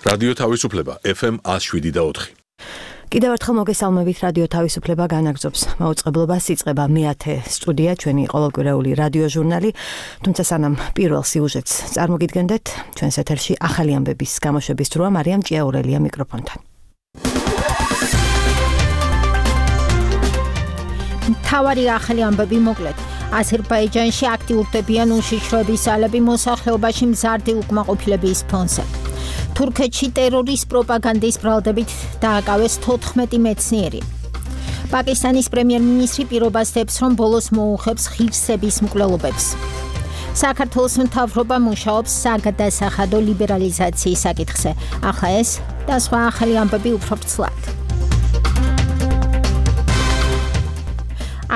რადიო თავისუფლება FM 107.4. კიდევ ერთხელ მოგესალმებით რადიო თავისუფლება განაგრძობს მაუწყებლობას იწყება მე-10 სტუდია ჩვენი ყოველკვირეული რადიო ჟურნალი თუმცა სანამ პირველ სიუჟეტს წარმოგიდგენდეთ ჩვენს ეთერში ახალი ამბების გამოშვების დროა მარიამ ჭიაურელია მიკროფონთან თავარი ახალი ამბები მოკლედ აზერბაიჯანში აქტიურდებიან უშიშროების ძალები მოსახლეობაში მზარდი უკმაყოფილების ფონზე თურქეთში ტერორის პროპაგანდის ბრალდებით დააკავეს 14 მეცნიერი. პაკისტანის პრემიერ-მინისტრი პირობას დებს, რომ ბოლოს მოუხებს ღირსების მკვლელობებს. საქართველოს მთავრობა მუშაობს საგადასახადო ლიბერალიზაციის საკითხზე. ახლა ეს და სხვა ახალი ამბები უფრო ვრცლად.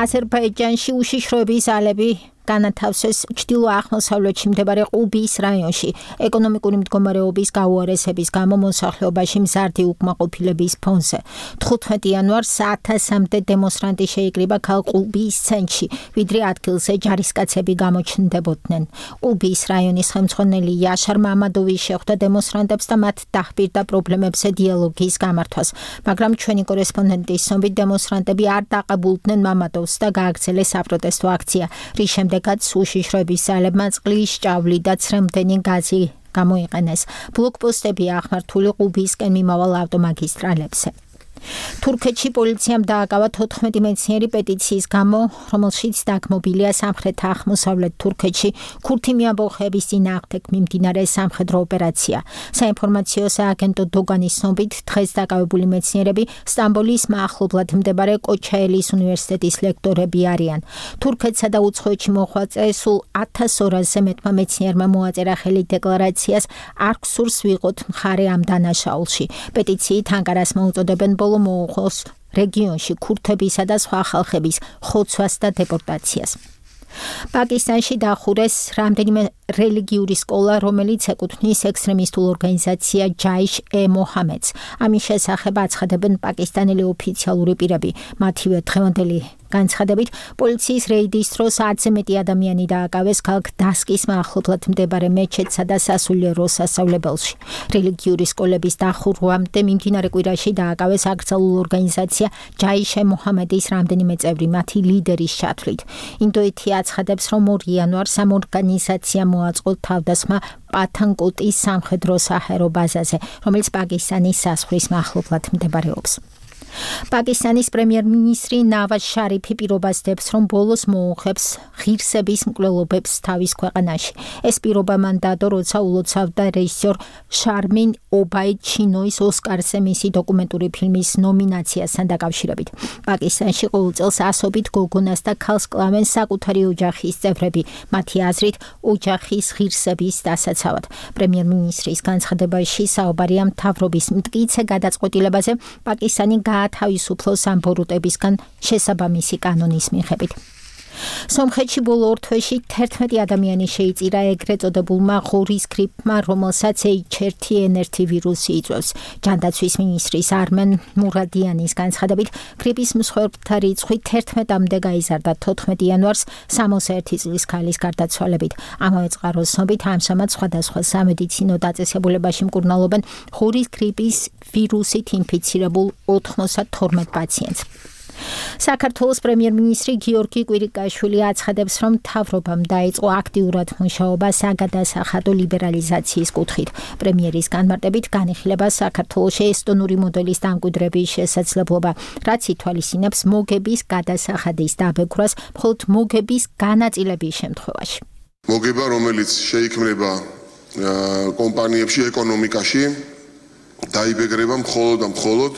აზერბაიჯანში უშიშროების ძალები განათავსეს ჩრდილო-აღმოსავლეთში მდებარე ყუბის რაიონში ეკონომიკური მდგომარეობის გაუარესების გამო მოსახლეობაში მზარდი უკმაყოფილების ფონზე 15 იანვარს 1000-მდე დემონსტრანტი შეიკრიბა ქალაქ ყუბის ცენტრში ვიდრე ადგილზე ჯარისკაცები გამოჩნდებოდნენ ყუბის რაიონის ხელმძღვანელი იაშარ მამადოვი შეხვდა დემონსტრანტებს და მათ დაჰპირდა პრობლემებზე დიალოგის გამართვას მაგრამ ჩვენი კორესპონდენტის ცნობით დემონსტრანტები არ დაყებულდნენ მამადოვს და გააგრძელეს საპროტესტო აქცია რის შემდეგაც უშიშროების ძალებმა წყლის ჭავლი და ცრემლდენი გაზი გამოიყენეს. ბლოკპოსტები აღმართული ყუბისკენ მიმავალ ავტომაგისტრალებზე. თურქეთში პოლიციამ დააკავა 14 მეცნიერი პეტიციის გამო, რომელშიც დაგმობილია სამხრეთ-აღმოსავლეთ თურქეთში ქურთი მიამბოხეების წინააღმდეგ მიმდინარე სამხედრო ოპერაცია. საინფორმაციო სააგენტო დოგანის ცნობით, დღეს დაკავებული მეცნიერები სტამბოლის მახლობლად მდებარე კოჩაელის უნივერსიტეტის ლექტორები არიან. თურქეთსა და უცხოეთში მოხვეწე სულ 1200-ზე მეტმა მეცნიერმა მოაწერა ხელი დეკლარაციას არ გსურს ვიყოთ მხარე ამ დანაშაულში. პეტიციით ანკარას მოუწოდებენ მოუხოს რეგიონში ქურთებისა და სხვა ხალხების ხოცვას და დეპორტაციას. პაკისტანში დახურეს რამდენიმე რელიგიური სკოლა, რომელიც ეკუთვნის ექსტრემისტულ ორგანიზაცია ჯაიშ-ე-მოჰამედს. ამის შესახებ აცხადებენ პაკისტანელი ოფიციალური პირები. მათივე დღევანდელი განცხადებით, პოლიციის რეიდის დროს 10-ზე მეტი ადამიანი დააკავეს ქალაქ დასკის მახლობლად მდებარე მეჩეთსა და სასულიერო სასწავლებელში. რელიგიური სკოლების დახურვამდე მიმდინარე კვირაში დააკავეს აკრძალულ ორგანიზაცია ჯაიშ-ე-მოჰამედის რამდენიმე წევრი, მათი ლიდერის ჩათვლით. ინდოეთი აცხადებს, რომ 2 იანვარს ამ ორგანიზაციამ მოაწყო თავდასხმა პათანკოტის სამხედრო საჰაერო ბაზაზე, რომელიც პაკისტანის საზღვრის მახლობლად მდებარეობს. პაკისტანის პრემიერ-მინისტრი ნავაზ შარიფი პირობას დებს, რომ ბოლოს მოუხებს ღირსების მკვლელობებს თავის ქვეყანაში. ეს პირობა მან დადო, როცა ულოცავდა რეჟისორ შარმინ ობაიდ ჩინოის ოსკარზე მისი დოკუმენტური ფილმის ნომინაციასთან დაკავშირებით. პაკისტანში ყოველ წელს ასობით გოგონას და ქალს კლავენ საკუთარი ოჯახის წევრები, მათი აზრით ოჯახის ღირსების დასაცავად. პრემიერ-მინისტრის განცხადებაში საუბარია მთავრობის მტკიცე გადაწყვეტილებაზე პაკისტანი თავისუფლოს ამ ბოროტებისგან შესაბამისი კანონის მიხედვით. სომხეთში ბოლო ორ თვეში 11 ადამიანი შეიწირა ეგრეთ წოდებულმა ღორის გრიპმა, რომელსაც H1N1 ვირუსი იწვევს. ჯანდაცვის მინისტრის არმენ მურადიანის განცხადებით, გრიპის მსხვერპლთა რიცხვი 11-მდე გაიზარდა 14 იანვარს 61 წლის ქალის გარდაცვალებით. ამავე წყაროს ცნობით, ამჟამად სხვადასხვა სამედიცინო დაწესებულებაში მკურნალობენ ღორის გრიპის ვირუსით ინფიცირებულ 92 პაციენტს. საქართველოს პრემიერ-მინისტრი გიორგი კვირიკაშვილი აცხადებს, რომ მთავრობამ დაიწყო აქტიურად მუშაობა საგადასახადო ლიბერალიზაციის კუთხით. პრემიერის განმარტებით განიხილება საქართველოში ესტონური მოდელის დამკვიდრების შესაძლებლობა, რაც ითვალისწინებს მოგების გადასახადის დაბეგვრას მხოლოდ მოგების განაწილების შემთხვევაში. მოგება, რომელიც შეიქმნება კომპანიებში, ეკონომიკაში, დაიბეგრება მხოლოდ და მხოლოდ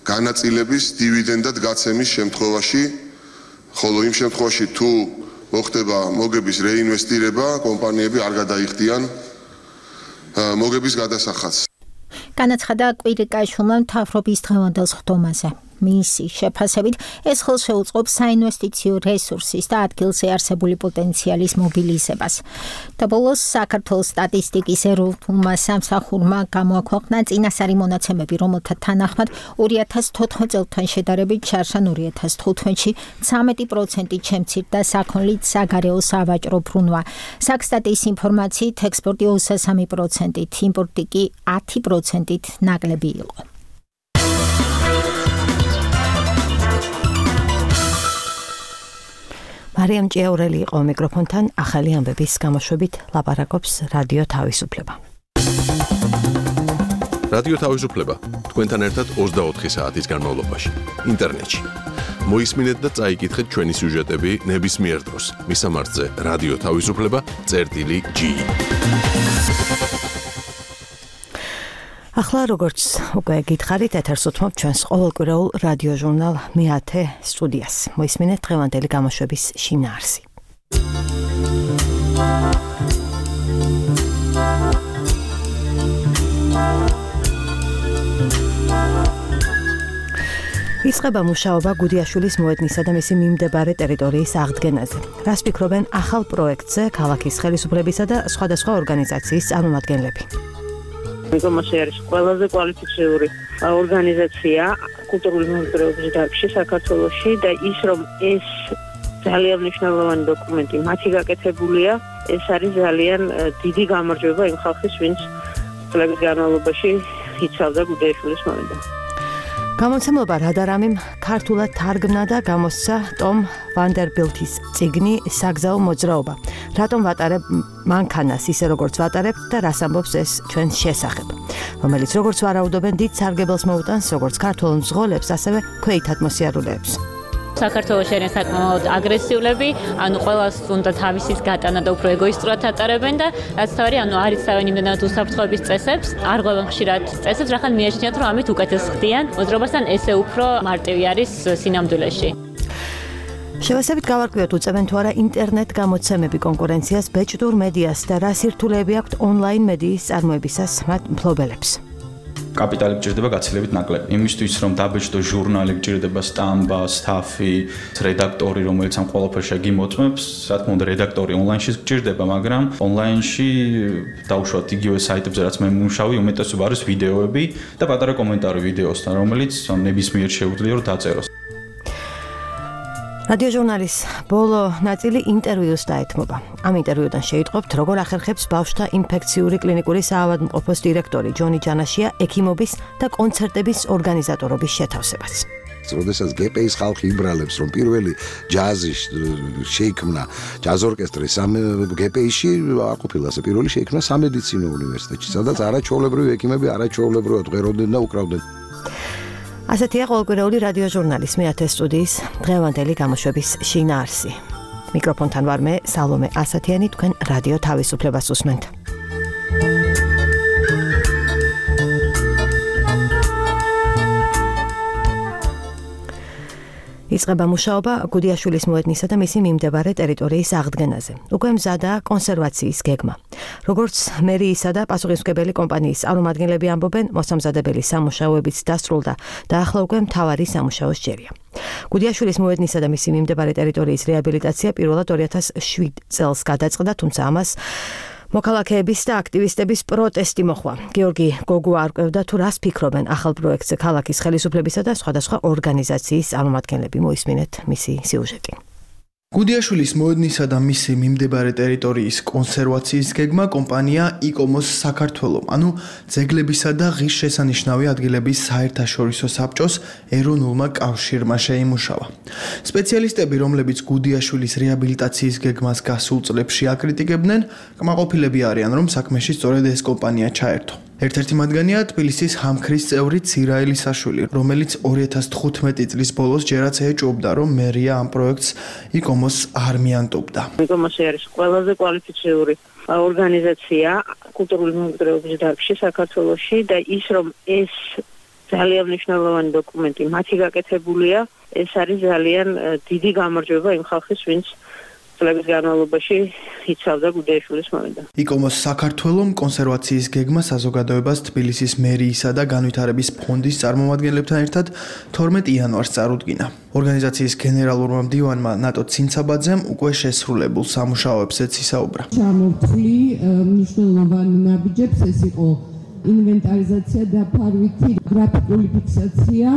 განაწილების დივიდენდად გაცემის შემთხვევაში, ხოლო იმ შემთხვევაში თუ მოხდება მოგების რეინვესტირება, კომპანიები არ გადაიხდიან მოგების გადასახადს. განაცხადა კვირიკაშვილმა მთავრობის დღევანდელ სხდომაზე. მისი შეფასებით, ეს ხელს შეუწყობს საინვესტიციო რესურსის და ადგილზე არსებული პოტენციალის მობილიზებას. და ბოლოს საქართველოს სტატისტიკის ეროვნულმა სამსახურმა გამოაქვეყნა წინასწარი მონაცემები, რომელთა თანახმად 2014 წელთან შედარებით ჩარშან 2015-ში 13% შემცირდა საქონლით საგარეო სავაჭრო ბრუნვა. საქსტატის ინფორმაციით ექსპორტი 23%-ით, იმპორტი კი 10%-ით ნაკლები იყო. მარიამ ჭიაურელი იყო მიკროფონთან, ახალი ამბების გამოშვებით ლაპარაკობს რადიო თავისუფლება. რადიო თავისუფლება თქვენთან ერთად 24 საათის განმავლობაში ინტერნეტში. მოისმინეთ და წაიკითხეთ ჩვენი სიუჟეტები ნებისმიერ დროს. მისამართზე რადიო თავისუფლება.gi. ახლა როგორც უკვე გითხარით, ეთერს უთმობ ჩვენს ყოველკვირეულ რადიო ჟურნალ მე-10 სტუდიას. მოისმინეთ დღევანდელი გამოშვების შინაარსი. იწყება მუშაობა გუდიაშვილის მოედნისა და მისი მიმდებარე ტერიტორიის აღდგენაზე. რას ფიქრობენ ახალ პროექტზე ქალაქის ხელისუფლებისა და სხვადასხვა ორგანიზაციის წარმომადგენლები? მეგომასე არის ყველაზე კვალიფიციური ორგანიზაცია კულტურული მემკვიდრეობის დარგში საქართველოში და ის რომ ეს ძალიან მნიშვნელოვანი დოკუმენტი მათი გაკეთებულია, ეს არის ძალიან დიდი გამარჯვება იმ ხალხის, ვინც წლების განმავლობაში იცავდა გუდიაშვილის მოედნს. გამოცემობა რადარამიმ ქართულად თარგმნა და გამოსცა ტომ ვანდერბილთის წიგნი საგზაო მოძრაობა. რატომ ვატარებ მანქანას ისე როგორც ვატარებ და რას ამბობს ეს ჩვენს შესახებ, რომელიც როგორც ვარაუდობენ დიდ სარგებელს მოუტანს როგორც ქართულ მძღოლებს, ასევე ქვეითად მოსიარულეებს. საქართველოში არის საკმაოდ აგრესიულები, ანუ ყველას უნდა თავისის გატანა და უფრო ეგოისტურად ატარებენ და რაც თავი, ანუ არ იცავენ იმდენად უსაფრთხოების წესებს, არ ღვევენ ხშირად წესებს, რახან მიაჩნიათ, რომ ამით უკეთეს ხდიან მოძრაობასთან, ესე უფრო მარტივი არის სინამდვილეში. შევასებით გავარკვიოთ, უწევენ თუ არა ინტერნეტ გამოცემები კონკურენციას ბეჭდურ მედიას და რა სირთულეები აქვთ ონლაინ მედიის წარმოებისას მათ მფლობელებს. კაპიტალი გჭირდება გაცილებით ნაკლები. იმისთვის რომ დაბეჭდო ჟურნალი გჭირდება სტამბა, სტაფი, რედაქტორი, რომელიც ამ ყველაფერს გიმოწმებს. რა თქმა უნდა, რედაქტორი ონლაინში გჭირდება, მაგრამ ონლაინში დაუშვათ იგივე საიტებზე, რაც მე მუშაობ, უმეტესობა არის ვიდეოები და პატარა კომენტარი ვიდეოსთან, რომელიც ნებისმიერ შეუძლია რომ დაწეროს. რადიო ჟურნალის ბოლო ნაწილი ინტერვიუს დაეთმობა. ამ ინტერვიუდან შეიტყობთ, როგორ ახერხებს ბავშვთა ინფექციური კლინიკური საავადმყოფოს დირექტორი ჯონი ჯანაშია ექიმობის და კონცერტების ორგანიზატორობის შეთავსებას. როდესაც გპ-ის ხალხი იბრალებს, რომ პირველი ჯაზი შეიქმნა ჯაზ ორკესტრი გპ-ში, არ ყოფილა ასე პირველი შეიქმნა სამედიცინო უნივერსიტეტში, სადაც არაჩვეულებრივი ექიმები არაჩვეულებრივად ღვეროდნენ და უკრავდნენ. ასეთია ყოველკვირეული რადიო ჟურნალის მე-10 სტუდიის დღევანდელი გამოშვების შინაარსი. მიკროფონთან ვარ მე, სალომე ასათიანი, თქვენ რადიო თავისუფლებას უსმენთ. იწყება მუშაობა გუდიაშვილის მოედნისა და მისი მიმდებარე ტერიტორიის აღდგენაზე. უკვე მზადაა კონსერვაციის გეგმა. როგორც მერიისა და პასუხისმგებელი კომპანიის წარმომადგენლები ამბობენ, მოსამზადებელი სამუშაოებიც დასრულდა და ახლა უკვე მთავარი სამუშაო სჯერია. გუდიაშვილის მოედნისა და მისი მიმდებარე ტერიტორიის რეაბილიტაცია პირველად 2007 წელს გადაწყდა, თუმცა ამას მოქალაქეების და აქტივისტების პროტესტი მოჰყვა. გიორგი გოგუა არკვევდა თუ რას ფიქრობენ ახალ პროექტზე ქალაქის ხელისუფლებისა და სხვადასხვა ორგანიზაციის წარმომადგენლები. მოისმინეთ მისი სიუჟეტი. გუდიაშვილის მოედნისა და მისი მიმდებარე ტერიტორიის კონსერვაციის გეგმა კომპანია იკომოს საქართველო, ანუ ძეგლებისა და ღირსშესანიშნავი ადგილების საერთაშორისო საბჭოს ეროვნულმა კავშირმა შეიმუშავა. სპეციალისტები, რომლებიც გუდიაშვილის რეაბილიტაციის გეგმას გასულ წლებში აკრიტიკებდნენ, კმაყოფილები არიან, რომ საქმეში სწორედ ეს კომპანია ჩაერთო. ერთ-ერთი მათგანია თბილისის ჰამქრის წევრი ცირა ელისაშვილი, რომელიც 2015 წლის ბოლოს ჯერაც ეჭვობდა, რომ მერია ამ პროექტს იკომოს არ მიანტობდა. იკომოსი არის ყველაზე კვალიფიციური ორგანიზაცია კულტურული მემკვიდრეობის დარგში საქართველოში და ის რომ ეს ძალიან მნიშვნელოვანი დოკუმენტი მათი გაკეთებულია, ეს არის ძალიან დიდი გამარჯვება იმ ხალხის, ვინც წლების განმავლობაში იცავდა გუდიაშვილის მოედანი. იკომოს საქართველოს კონსერვაციის გეგმა საზოგადოებას თბილისის მერიისა და განვითარების ფონდის წარმომადგენლებთან ერთად 12 იანვარს წარუდგინა. ორგანიზაციის გენერალურმა მდივანმა ნატო ცინცაბაძემ უკვე შესრულებულ სამუშაოებზეც ისაუბრა. ჩამოვთვლი მნიშვნელოვანი ნაბიჯებს, ეს იყო ინვენტარიზაცია და ფარვითი გრაფიკული ფიქსაცია,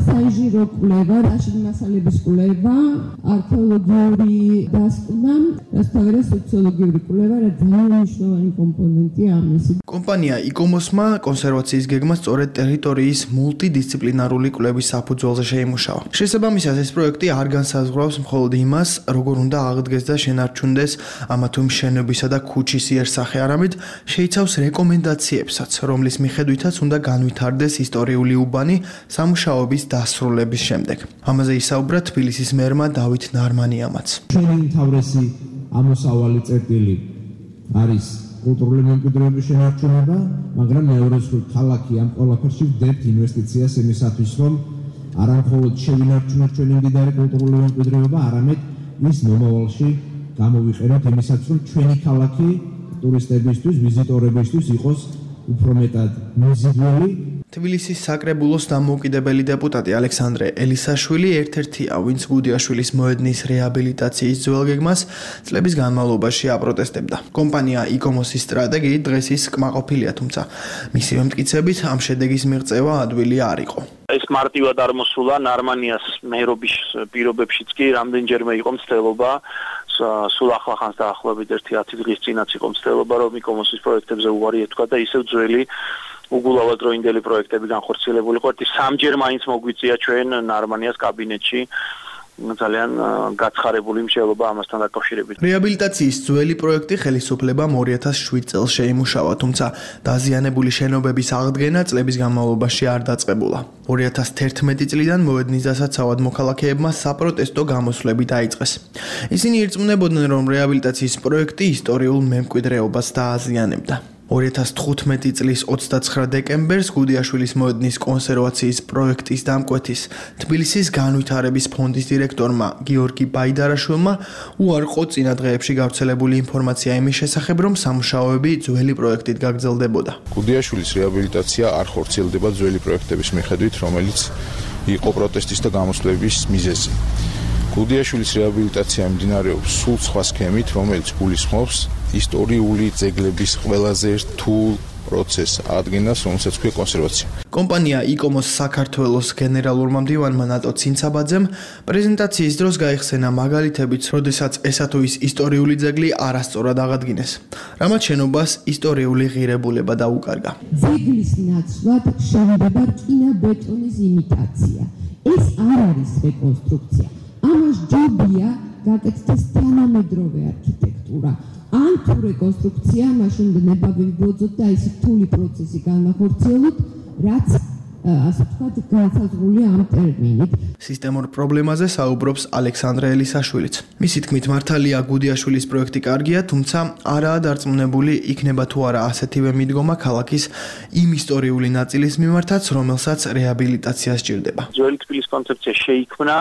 საინჟინრო კვლევა, რაშინი მასალების კვლევა, არქეოლოგიური დასკვნა, რასთავერა სოციოლოგიური კვლევა, რა ძალიან მნიშვნელოვანი კომპონენტია ამისი. კომპანია იკომოსმა კონსერვაციის გეგმა სწორედ ტერიტორიის მულტიდისციპლინარული კვლევის საფუძველზე შეიმუშავა. შესაბამისად, ეს პროექტი არ განსაზღვრავს მხოლოდ იმას, როგორ უნდა აღდგეს და შენარჩუნდეს ამა თუ იმ შენობისა და ქუჩის იერსახე, არამედ შეიცავს რეკომენდაციებსაც, რომლის მიხედვითაც უნდა განვითარდეს ისტორიული უბანი სამუშაოების დასრულების შემდეგ. ამაზე ისაუბრა თბილისის მერმა დავით ნარმანიამაც. ჩვენი მთავრესი ამოსავალი წერტილი არის კულტურული მემკვიდრეობის შენარჩუნება, მაგრამ მეორე მხრივ ქალაქი ამ ყველაფერში ვდებთ ინვესტიციას იმისათვის, რომ არა მხოლოდ შევინარჩუნოთ ჩვენი მდიდარი კულტურული მემკვიდრეობა, არამედ ის მომავალში გამოვიყენოთ იმისათვის, რომ ჩვენი ქალაქი ტურისტებისთვის, ვიზიტორებისთვის იყოს უფრო მეტად მოზიდველი. თბილისის საკრებულოს დამოუკიდებელი დეპუტატი ალექსანდრე ელისაშვილი ერთ-ერთია, ვინც გუდიაშვილის მოედნის რეაბილიტაციის ძველ გეგმას წლების განმავლობაში აპროტესტებდა. კომპანია იკომოსის სტრატეგიით დღეს ის კმაყოფილია, თუმცა მისივე მტკიცებით ამ შედეგის მიღწევა ადვილი არ იყო. ეს მარტივად არ მოსულა ნარმანიას მეერობის პირობებშიც კი რამდენჯერმე იყო მცდელობა, სულ ახლახანს დაახლოებით 1-10 დღის წინაც იყო მცდელობა, რომ იკომოსის პროექტებზე უარი ეთქვა და ისევ ძველი უგულავად დროინდელი პროექტები განხორციელებულიყო. სამჯერ მაინც მოგვიწია ჩვენ ნარმანიას კაბინეტში ძალიან გაცხარებული მსჯელობა ამასთან დაკავშირებით. რეაბილიტაციის ძველი პროექტი ხელისუფლებამ 2007 წელს შეიმუშავა, თუმცა დაზიანებული შენობების აღდგენა წლების განმავლობაში არ დაწყებულა. 2011 წლიდან მოედნის დასაცავად მოქალაქეებმა საპროტესტო გამოსვლები დაიწყეს. ისინი ირწმუნებოდნენ, რომ რეაბილიტაციის პროექტი ისტორიულ მემკვიდრეობას დააზიანებდა. 2015 წლის 29 დეკემბერს გუდიაშვილის მოედნის კონსერვაციის პროექტის დამკვეთის თბილისის განვითარების ფონდის დირექტორმა გიორგი ბაიდარაშვილმა უარყო წინა დღეებში გავრცელებული ინფორმაცია იმის შესახებ, რომ სამუშაოები ძველი პროექტით გაგრძელდებოდა. გუდიაშვილის რეაბილიტაცია არ ხორციელდება ძველი პროექტების მიხედვით, რომელიც იყო პროტესტის და გამოსვლების მიზეზი. გუდიაშვილის რეაბილიტაცია მიმდინარეობს სულ სხვა სქემით, რომელიც გულისხმობს ისტორიული ძეგლების ყველაზე რთულ პროცესს ადგენას, რომელსაც ქვია კონსერვაცია. კომპანია იკომოს საქართველოს გენერალურმა მდივანმა ნატო ცინცაბაძემ პრეზენტაციის დროს გაიხსენა მაგალითებიც, როდესაც ესა თუ ის ისტორიული ძეგლი არასწორად აღადგინეს. რამაც შენობას ისტორიული ღირებულება დაუკარგა. ძეგლის ნაცვლად შენდება რკინა-ბეტონის იმიტაცია. ეს არ არის რეკონსტრუქცია. ამას ჯობია გაკეთდეს თანამედროვე არქიტექტურა. ან თუ რეკონსტრუქცია, მაშინ ნება ვიბოძოთ და ის რთული პროცესი განახორციელოთ, რაც ასე ვთქვათ, განსაზღვრულია ამ ტერმინით. სისტემურ პრობლემაზე საუბრობს ალექსანდრე ელისაშვილიც. მისი თქმით, მართალია გუდიაშვილის პროექტი კარგია, თუმცა არაა დარწმუნებული იქნება თუ არა ასეთივე მიდგომა ქალაქის იმ ისტორიული ნაწილის მიმართაც, რომელსაც რეაბილიტაცია სჭირდება. ძველი თბილის კონცეფცია შეიქმნა,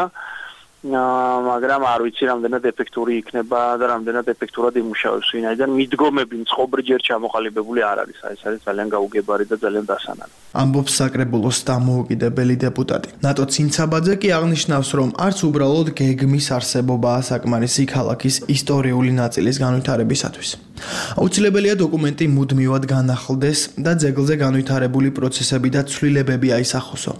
მაგრამ არ ვიცი რამდენად ეფექტური იქნება და რამდენად ეფექტურად იმუშავებს, ვინაიდან მიდგომები მწყობრიჯერ ჩამოყალიბებული არ არის. ეს არის ძალიან გაუგებარი და ძალიან დასანანო. ამბობს საკრებულოს დამოუკიდებელი დეპუტატი. ნატო ცინცაბაძე კი აღნიშნავს, რომ არც უბრალოდ გეგმის არსებობაა საკმარისი ქალაქის ისტორიული ნაწილის განვითარებისათვის. აუცილებელია დოკუმენტი მუდმივად განახლდეს და ძეგლზე განვითარებული პროცესები და ცვლილებები აისახოსო.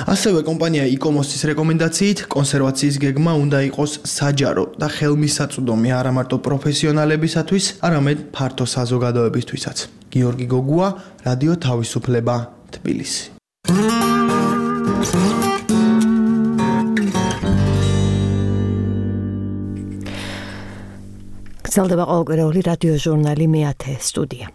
ასევე კომპანია იკომოსის რეკომენდაციით კონსერვაციის გეგმა უნდა იყოს საჯარო და ხელმისაწვდომი არა მარტო პროფესიონალებისათვის, არამედ ფართო საზოგადოებისთვისაც. გიორგი გოგუა, რადიო თავისუფლება, თბილისი. გრძელდება ყოველკვირეული რადიო ჟურნალი მე-10 სტუდია.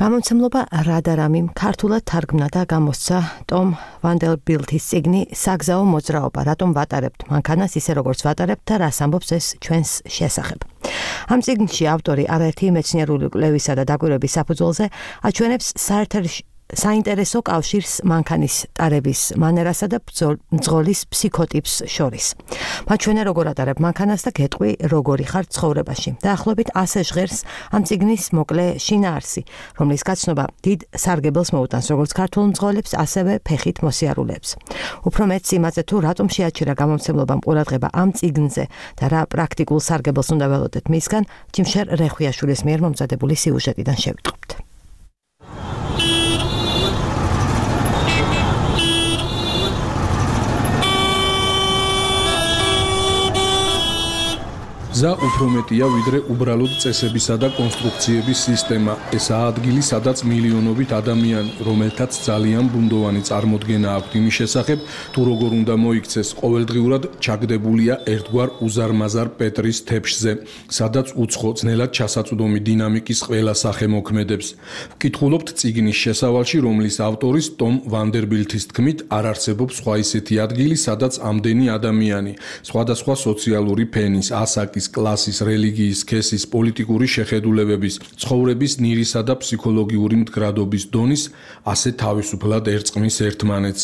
გამომცემლობა რადარამიმ ქართულად თარგმნა და გამოსცა ტომ ვანდერბილთის წიგნი საგზაო მოძრაობა, რატომ ვატარებთ მანქანას ისე როგორც ვატარებთ და რას ამბობს ეს ჩვენს შესახებ. ამ წიგნში ავტორი არაერთი მეცნიერული კვლევისა და დაკვირვების საფუძველზე აჩვენებს საინტერესო კავშირს მანქანის ტარების მანერასა და მძღოლის ფსიქოტიპს შორის. მათ ჩვენა როგორ ატარებ მანქანას და გეტყვი როგორი ხარ ცხოვრებაში. დაახლოებით ასე ჟღერს ამ წიგნის მოკლე შინაარსი, რომლის გაცნობა დიდ სარგებელს მოუტანს როგორც ქართულ მძღოლებს, ასევე ფეხით მოსიარულეებს. უფრო მეც იმაზე თუ რატომ შეაჩერა გამომცემლობამ ყურადღება ამ წიგნზე და რა პრაქტიკულ სარგებელს უნდა ველოდეთ მისგან, ჯიმშერ რეხვიაშვილის მიერ მომზადებული სიუჟეტიდან შევიტყობთ. გზა უფრო მეტია ვიდრე უბრალოდ წესებისა და კონსტრუქციების სისტემა. ესაა ადგილი, სადაც მილიონობით ადამიანი, რომელთაც ძალიან ბუნდოვანი წარმოდგენა აქვთ იმის შესახებ, თუ როგორ უნდა მოიქცეს, ყოველდღიურად ჩაგდებულია ერთგვარ უზარმაზარ პეტრის თეფშზე, სადაც უცხო, ძნელად ჩასაწვდომი დინამიკის ყველა სახე მოქმედებს. ვკითხულობთ წიგნის შესავალში, რომლის ავტორის ტომ ვანდერბილთის თქმით, არ არსებობს სხვა ისეთი ადგილი, სადაც ამდენი ადამიანი, სხვადასხვა სოციალური ფენის, ასაკის, კლასის, რელიგიის, სქესის, პოლიტიკური შეხედულებების, ცხოვრების ნირისა და ფსიქოლოგიური მდგრადობის დონის ასე თავისუფლად ერწყმის ერთმანეთს.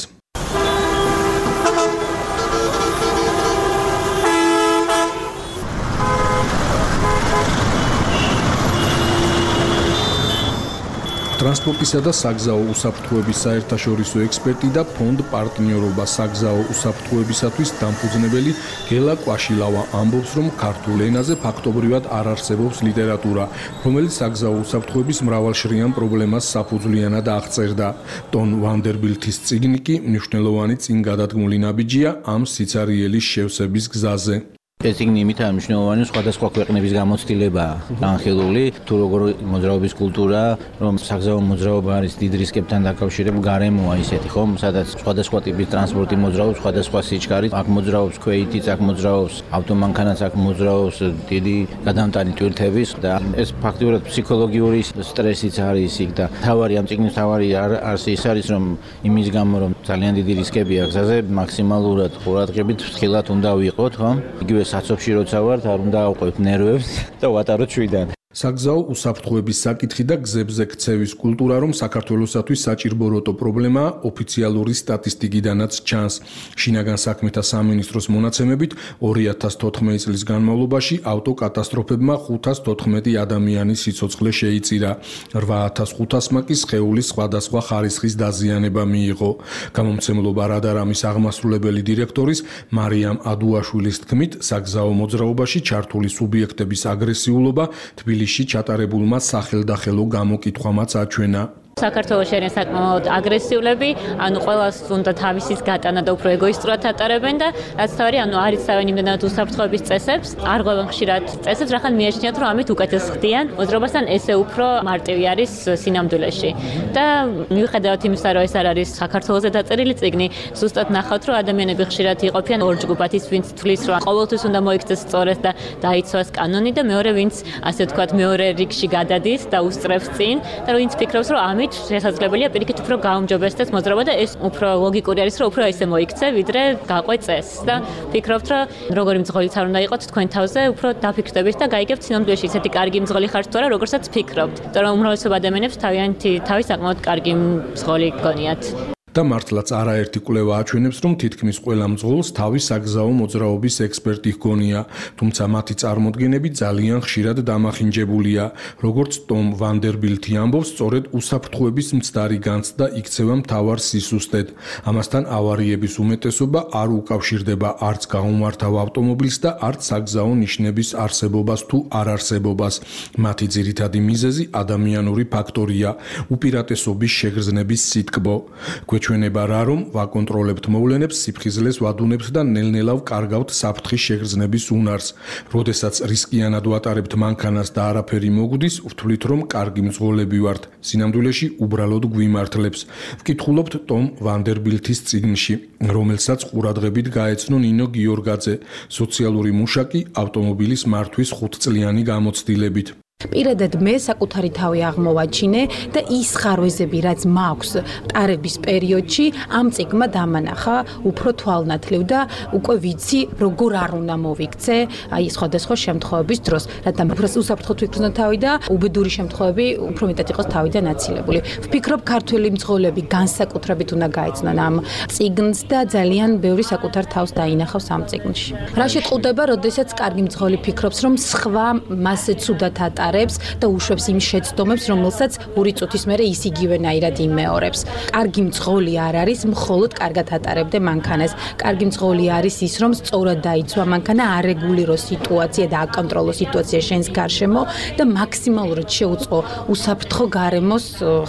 ტრანსპორტისა და საგზაო უსაფრთხოების საერთაშორისო ექსპერტი და ფონდ პარტნიორობა საგზაო უსაფრთხოებისათვის დამფუძნებელი გელა კვაშილავა ამბობს, რომ ქართულ ენაზე ფაქტობრივად არ არსებობს ლიტერატურა, რომელიც საგზაო უსაფრთხოების მრავალშრიან პრობლემას საფუძვლიანად აღწერდა. ტონ ვანდერბილთის წიგნი კი მნიშვნელოვანი წინგადადგმული ნაბიჯია ამ სიცარიელის შევსების გზაზე. ეს წიგნი იმითაა მნიშვნელოვანი, სხვადასხვა ქვეყნების გამოცდილებაა განხილული, თუ როგორ მოძრაობის კულტურა, რომ საგზაო მოძრაობა არის დიდ რისკებთან დაკავშირებული გარემოა ისეთი, ხომ, სადაც სხვადასხვა ტიპის ტრანსპორტი მოძრაობს, სხვადასხვა სიჩქარით, აქ მოძრაობს ქვეითიც, აქ მოძრაობს ავტომანქანაც, აქ მოძრაობს დიდი გადამტანი ტვირთების და ეს ფაქტობრივად ფსიქოლოგიური სტრესიც არის იქ და თავარი ამ წიგნის თავარი არს ის არის, რომ იმის გამო, რომ ძალიან დიდი რისკებია გზაზე, მაქსიმალურად ყურადღებით ფრთხილად უნდა ვიყოთ, ხომ? იგივე საცობში როცა ვართ, არ უნდა ავყვევთ ნერვებს და ვატაროთ შვიდან. საგზაო უსაფრთხოების საკითხი და გზებზე ქცევის კულტურა, რომ საქართველოსათვის საჭირბოროტო პრობლემაა, ოფიციალური სტატისტიკიდანაც ჩანს. შინაგან საქმეთა სამინისტროს მონაცემებით 2014 წლის განმავლობაში ავტოკატასტროფებმა 514 ადამიანის სიცოცხლე შეიწირა. 8500-მა კი სხეულის სხვადასხვა ხარისხის დაზიანება მიიღო. გამომცემლობა რადარამის აღმასრულებელი დირექტორის მარიამ ადუაშვილის თქმით, საგზაო მოძრაობაში ჩართული სუბიექტების აგრესიულობა თბილისში ჩატარებულმა სახელდახელო გამოკითხვამაც აჩვენა. საქართველოში არის საკმაოდ აგრესიულები, ანუ ყველას უნდა თავისის გატანა და უფრო ეგოისტურად ატარებენ და რაც თავი, ანუ არ იცავენ იმდენად უსაფრთხოების წესებს, არ ღვევენ ხშირად წესებს, რახან მიაჩნიათ, რომ ამით უკეთეს ხდიან, მოძრაობასთან ესე უფრო მარტივი არის სინამდვილეში. და მიუხედავად იმისა, რომ ეს არ არის საქართველოზე დაწერილი წიგნი, ზუსტად ნახავთ, რომ ადამიანები ხშირად იყოფიან ორ ჯგუფად, ის ვინც თვლის, რომ ყოველთვის უნდა მოიქცეს სწორედ და დაიცვას კანონი და მეორე ვინც, ასე ვთქვათ, მეორე რიგში გადადის და უსწრებს წინ და ვინც ფიქრობს, რომ ამით შესაძლებელია პირიქით უფრო გაუმჯობესდეს მოძრაობა და ეს უფრო ლოგიკური არის, რომ უფრო ესე მოიქცე, ვიდრე გაყვე წესს და ფიქრობთ, რომ როგორი მძღოლიც არ უნდა იყოთ თქვენ თავზე, უფრო დაფიქრდებით და გაიგებთ სინამდვილეში ისეთი კარგი მძღოლი ხართ თუ არა, როგორცაც ფიქრობთ. იმიტომ რომ უმრავლესობა ადამიანებს თავი საკმაოდ კარგი მძღოლი გონიათ. და მართლაც არაერთი კვლევა აჩვენებს, რომ თითქმის ყველა მძღოლს თავის საგზაო მოძრაობის ექსპერტი ჰგონია, თუმცა მათი წარმოდგენები ძალიან ხშირად დამახინჯებულია. როგორც ტომ ვანდერბილთი ამბობს, სწორედ უსაფრთხოების მცდარი განცდა იქცევა მთავარ სისუსტედ. ამასთან ავარიების უმეტესობა არ უკავშირდება არც გაუმართავ ავტომობილს და არც საგზაო ნიშნების არსებობას თუ არ არსებობას. მათი ძირითადი მიზეზი ადამიანური ფაქტორია, უპირატესობის შეგრძნების სიტკბო. ჩვენება რა, რომ ვაკონტროლებთ მოვლენებს, სიფხიზლეს ვადუნებთ და ნელ-ნელა ვკარგავთ საფრთხის შეგრძნების უნარს. როდესაც რისკიანად ვატარებთ მანქანას და არაფერი მოგვდის, ვთვლით, რომ კარგი მძღოლები ვართ. სინამდვილეში უბრალოდ გვიმართლებს. ვკითხულობთ ტომ ვანდერბილთის წიგნში, რომელსაც ყურადღებით გაეცნო ნინო გიორგაძე, სოციალური მუშაკი ავტომობილის მართვის 5 წლიანი გამოცდილებით. პირადად მე საკუთარი თავი აღმოვაჩინე და ის ხარვეზები, რაც მაქვს ტარების პერიოდში, ამ წიგნმა დამანახა უფრო თვალნათლივ და უკვე ვიცი, როგორ არ უნდა მოვიქცე აი სხვადასხვა შემთხვევების დროს, რადგან უფრო უსაფრთხოდ ვიქნო თავი და უბედური შემთხვევები უფრო მეტად იყოს თავიდან აცილებული. ვფიქრობ, ქართველი მძღოლები განსაკუთრებით უნდა გაეცნონ ამ წიგნს და ძალიან ბევრი საკუთარ თავს დაინახავს ამ წიგნში. რა შეტყუდება, როდესაც კარგი მძღოლი ფიქრობს, რომ სხვა მასზე ცუდად ატარებს და უშვებს იმ შეცდომებს, რომელსაც ორი წუთის მერე ის იგივენაირად იმეორებს. კარგი მძღოლი არ არის მხოლოდ კარგად ატარებდე მანქანას. კარგი მძღოლი არის ის, რომ სწორად დაიცვა მანქანა, არეგულირო სიტუაცია და აკონტროლო სიტუაცია შენს გარშემო და მაქსიმალურად შეუწყო უსაფრთხო გარემოს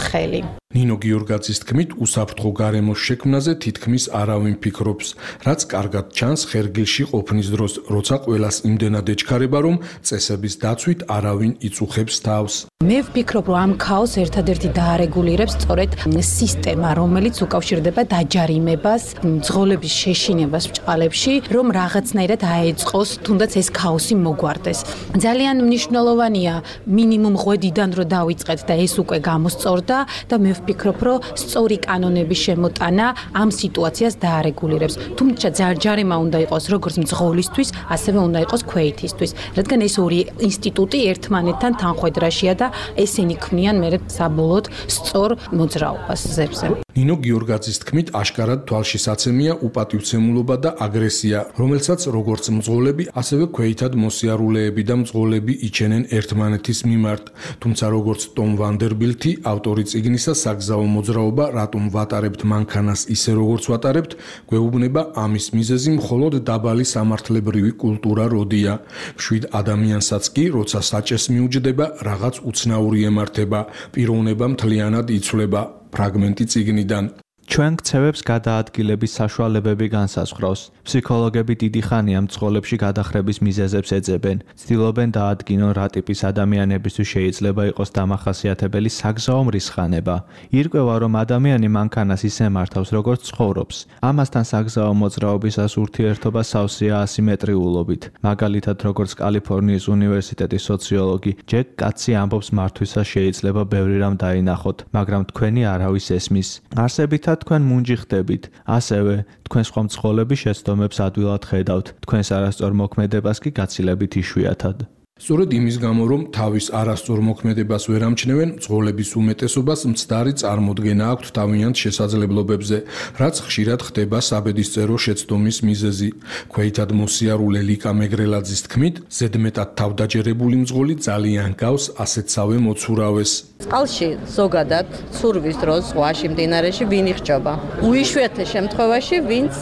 ხელი. ნინო გიორგაძის თქმით, უსაფრთხო გარემოს შექმნაზე თითქმის არავინ ფიქრობს, რაც კარგად ჩანს ხერგილში ყოფნის დროს, როცა ყველას იმდენად ეჩქარება, რომ წესების დაცვით არავინ იწუხებს თავს. მე ვფიქრობ, რომ ამ ქაოსს ერთადერთი დაარეგულირებს სწორედ სისტემა, რომელიც უკავშირდება დაჯარიმებას, მძღოლების შეშინებას ბჭყალებში, რომ რაღაცნაირად აეწყოს, თუნდაც ეს ქაოსი მოგვარდეს. ძალიან მნიშვნელოვანია მინიმუმ ღვედიდან რო დავიწყეთ და ეს უკვე გამოსწორდა და მე ვფიქრობ, რომ სწორი კანონების შემოტანა ამ სიტუაციას დაარეგულირებს. თუმცა ჯარიმა უნდა იყოს როგორც მძღოლისთვის, ასევე უნდა იყოს ქვეითისთვის, რადგან ეს ორი ინსტიტუტი ერთმანეთთან თანხვედრაშია და ესენი ქმნიან მე საბოლოოდ სწორ მოძრაობას ზებზე. ნინო გიორგაძის თქმით, აშკარად თვალშისაცემია უპატივცემულობა და აგრესია, რომელსაც როგორც მძღოლები, ასევე ქვეითად მოსიარულეები და მძღოლები იჩენენ ერთმანეთის მიმართ. თუმცა როგორც ტომ ვანდერბილთი, ავტორი წიგნისა საგზაო მოძრაობა, რატომ ვატარებთ მანქანას ისე როგორც ვატარებთ, გვეუბნება ამის მიზეზი მხოლოდ დაბალი სამართლებრივი კულტურა როდია. მშვიდ ადამიანსაც კი, როცა საჭეს მიუჯდება, რაღაც უცნაური ემართება, პიროვნება მთლიანად იცვლება. ფრაგმენტი წიგნიდან. ჩვენ ქცევებს გადაადგილების საშუალებები განსაზღვრავს. ფსიქოლოგები დიდი ხანია მძღოლებში გადახრების მიზეზებს ეძებენ. ცდილობენ დაადგინონ რა ტიპის ადამიანებისთვის შეიძლება იყოს დამახასიათებელი საგზაო მრისხანება. ირკვევა, რომ ადამიანი მანქანას ისე მართავს, როგორც ცხოვრობს. ამასთან საგზაო მოძრაობისას ურთიერთობა სავსეა ასიმეტრიულობით. მაგალითად, როგორც კალიფორნიის უნივერსიტეტის სოციოლოგი ჯეკ კაცი ამბობს, მართვისას შეიძლება ბევრი რამ დაინახოთ, მაგრამ თქვენი არავის ესმის. არსებითად თქვენ მუნჯი ხდებით, ასევე თქვენ სხვა მძღოლების შეცდომებს ადვილად ხედავთ, თქვენს არასწორ მოქმედებას კი გაცილებით იშვიათად. სწორედ იმის გამო, რომ თავის არასწორ მოქმედებას ვერ ამჩნევენ, მძღოლების უმეტესობას მცდარი წარმოდგენა აქვთ თავიანთ შესაძლებლობებზე, რაც ხშირად ხდება საბედისწერო შეცდომის მიზეზი. ქვეითად მოსიარულე ლიკა მეგრელაძის თქმით, ზედმეტად თავდაჯერებული მძღოლი ძალიან გავს ასეთსავე მოცურავეს. წყალში ზოგადად ცურვის დროს ზღვაში მდინარეში ვინ იხჭობა? უიშვიათე შემთხვევაში ვინც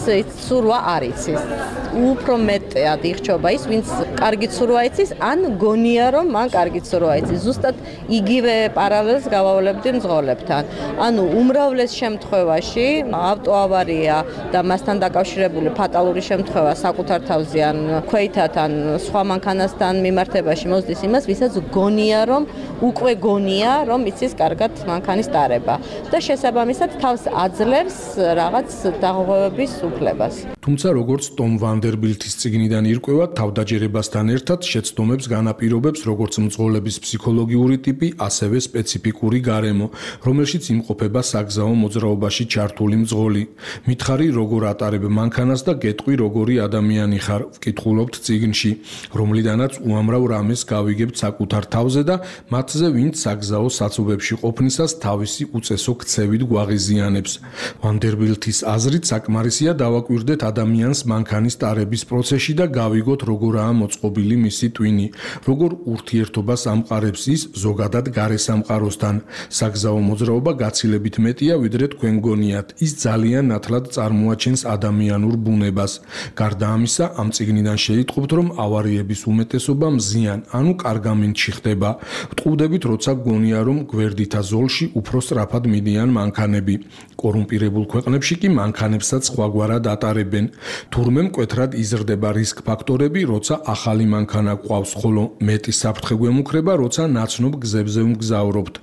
ცურვა არ იცის. უფრო მეტად იხჭობა ის, ვინც კარგი ცურვა იცის, ან გონია რომ მან კარგი ცურვა იცის. ზუსტად იგივე პარალელს გავავლებდი მძღოლებთან. ანუ უმრავლეს შემთხვევაში ავტოავარია და მასთან დაკავშირებული ფატალური შემთხვევა საკუთარ თავზე ან ქვეითად ან სხვა მანქანასთან მიმართებაში მოსდის იმას, ვისაც გონია რომ უკვე გონია რომ იცის კარგად მანქანის ტარება და შესაბამისად თავს აძლევს რაღაც დაღუპვების უფლებას. თუმცა როგორც ტომ ვანდერბილთის წიგნიდან ირკვევა, თავდაჯერებასთან ერთად შეცდომებს განაპირობებს როგორც მძღოლების ფსიქოლოგიური ტიპი, ასევე სპეციფიკური გარემო, რომელშიც იმყოფება საგზაო მოძრაობაში ჩართული მძღოლი. მითხარი როგორ ატარებ მანქანას და გეტყვი როგორი ადამიანი ხარ, ვკითხულობთ წიგნში, რომლიდანაც უამრავ რამეს გავიგებთ საკუთარ თავზე და მათზე ვინც საგზაო საცობებში ყოფნისას თავისი უწესო ქცევით გვაღიზიანებს. ვანდერბილთის აზრით საკმარისია დავაკვირდეთ ადამიანს მანქანის ტარების პროცესში და გავიგოთ როგორაა მოწყობილი მისი ტვინი, როგორ ურთიერთობას ამყარებს ის ზოგადად გარე სამყაროსთან. საგზაო მოძრაობა გაცილებით მეტია ვიდრე თქვენ გონიათ, ის ძალიან ნათლად წარმოაჩენს ადამიანურ ბუნებას. გარდა ამისა, ამ წიგნიდან შეიტყობთ, რომ ავარიების უმეტესობა მზიან, ანუ კარგ ამინდში ხდება. ვტყუდებით, როცა გონია, რომ გვერდითა ზოლში უფრო სწრაფად მიდიან მანქანები. კორუმპირებულ ქვეყნებში კი მანქანებსაც სხვაგვარად ატარებენ. თურმე მკვეთრად იზრდება რისკ ფაქტორები, როცა ახალი მანქანა გვყავს, ხოლო ხოლო მეტი საფრთხე გვემუქრება, როცა ნაცნობ გზებზე ვმგზავრობთ.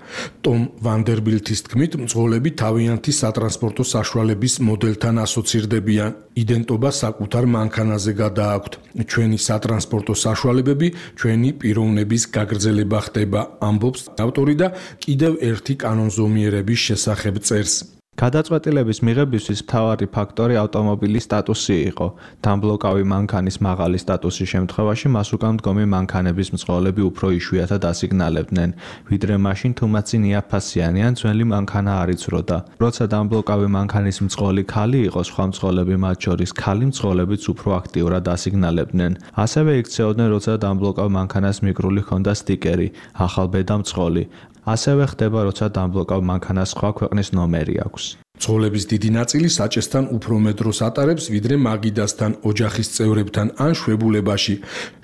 ტომ ვანდერბილთის თქმით, მძღოლები თავიანთი სატრანსპორტო საშუალების მოდელთან ასოცირდებიან. იდენტობა საკუთარ მანქანაზე გადააქვთ. ჩვენი სატრანსპორტო საშუალებები ჩვენი პიროვნების გაგრძელება ხდება, ამბობს ავტორი და კიდევ ერთი კანონზომიერების შესახებ წერს. გადაწყვეტილების მიღებისთვის მთავარი ფაქტორი ავტომობილის სტატუსი იყო. დამბლოკავი მანქანის მაღალი სტატუსის შემთხვევაში მას უკან მდგომი მანქანების მძღოლები უფრო იშვიათად ასიგნალებდნენ, ვიდრე მაშინ თუ მათ წინ იაფფასიანი ან ძველი მანქანა არ იცროდა. როცა დამბლოკავი მანქანის მძღოლი ქალი იყო, სხვა მძღოლები, მათ შორის ქალი მძღოლებიც უფრო აქტიურად ასიგნალებდნენ. ასევე იქცეოდნენ, როცა დამბლოკავ მანქანას მიკრული ჰქონდა სტიკერი, ახალბედა მძღოლი. ასევე ხდება, როცა დამბლოკავ მანქანას სხვა ქვეყნის ნომერი აქვს. მძღოლების დიდი ნაწილი საჭესთან უფრო მეტ დროს ატარებს, ვიდრე მაგიდასთან, ოჯახის წევრებთან ან შვებულებაში.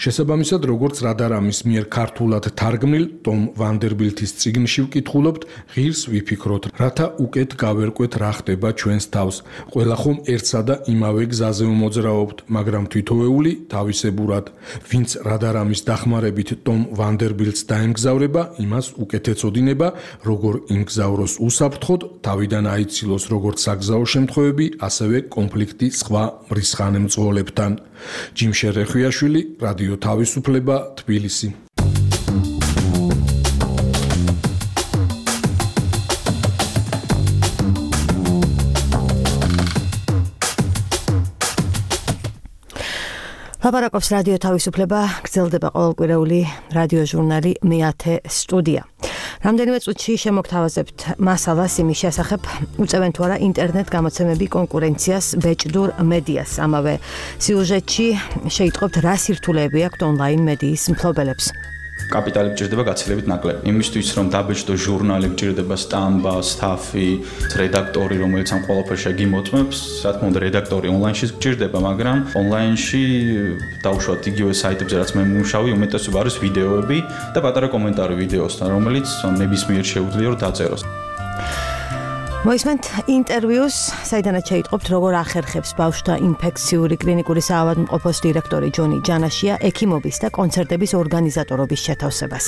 შესაბამისად, როგორც რადარამის მიერ ქართულად თარგმნილ ტომ ვანდერბილთის წიგნში ვკითხულობთ, ღირს ვიფიქროთ, რათა უკეთ გავერკვეთ რა ხდება ჩვენს თავს. ყველა ხომ ერთსა და იმავე გზაზე ვმოძრაობთ, მაგრამ თითოეული თავისებურად. ვინც რადარამის დახმარებით ტომ ვანდერბილთს დაემგზავრება, იმას უკეთ ეწოდინება, როგორ იმგზავროს უსაფრთხოდ, თავიდან აიცილოს როგორც საგზაო შემთხვევები, ასევე კონფლიქტი სხვა მრისხანე მძღოლებთან. ჯიმშე რეხვიაშვილი, რადიო თავისუფლება, თბილისი. ლაპარაკობს რადიო თავისუფლება, გრძელდება ყოველკვირეული რადიო ჟურნალი მე-10 სტუდია. რამდენიმე წუთში შემოგთავაზებთ მასალას იმის შესახებ, უწევენ თუ არა ინტერნეტ გამოცემები კონკურენციას ბეჭდურ მედიას. ამავე სიუჟეტში შეიტყობთ, რა სირთულეები აქვთ ონლაინ მედიის მფლობელებს. კაპიტალი გჭირდება გაცილებით ნაკლები. იმისთვის რომ დაბეჭდო ჟურნალი გჭირდება სტამბა, სტაფი, რედაქტორი, რომელიც ამ ყველაფერს გიმოწმებს, რა თქმა უნდა, რედაქტორი ონლაინშიც გჭირდება, მაგრამ ონლაინში დავუშვათ იგივე საიტებზე, რაც მე მუშაობი, უმეტესობა არის ვიდეოები და პატარა კომენტარი ვიდეოსთან, რომელიც ნებისმიერ შეუძლია რომ დაწეროს. მოისმენთ ინტერვიუს, საიდანაც შეიტყობთ, როგორ ახერხებს ბავშვთა ინფექციური კლინიკური საავადმყოფოს დირექტორი ჯონი ჯანაშია ექიმობის და კონცერტების ორგანიზატორობის შეთავსებას.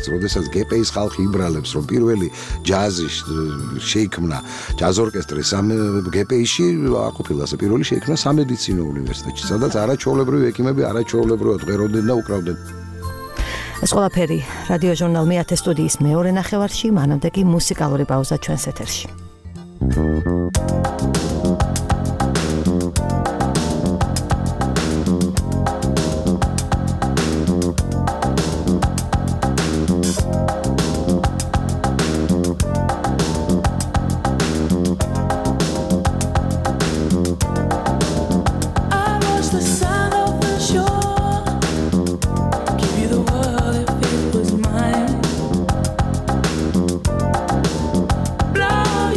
როდესაც გპ-ის ხალხი იბრალებს, რომ პირველი ჯაზი შეიქმნა ჯაზ ორკესტრი გპ-ში, აყოფილა ასე პირველი შეიქმნა სამედიცინო უნივერსიტეტში, სადაც არაჩვეულებრივი ექიმები არაჩვეულებრივად ღეროდნენ და უკრავდნენ. ეს ყველაფერი რადიო ჟურნალ მე-10 სტუდიის მეორე ნახევარში, მანამდე კი მუსიკალური პაუზა ჩვენს ეთერში. Blow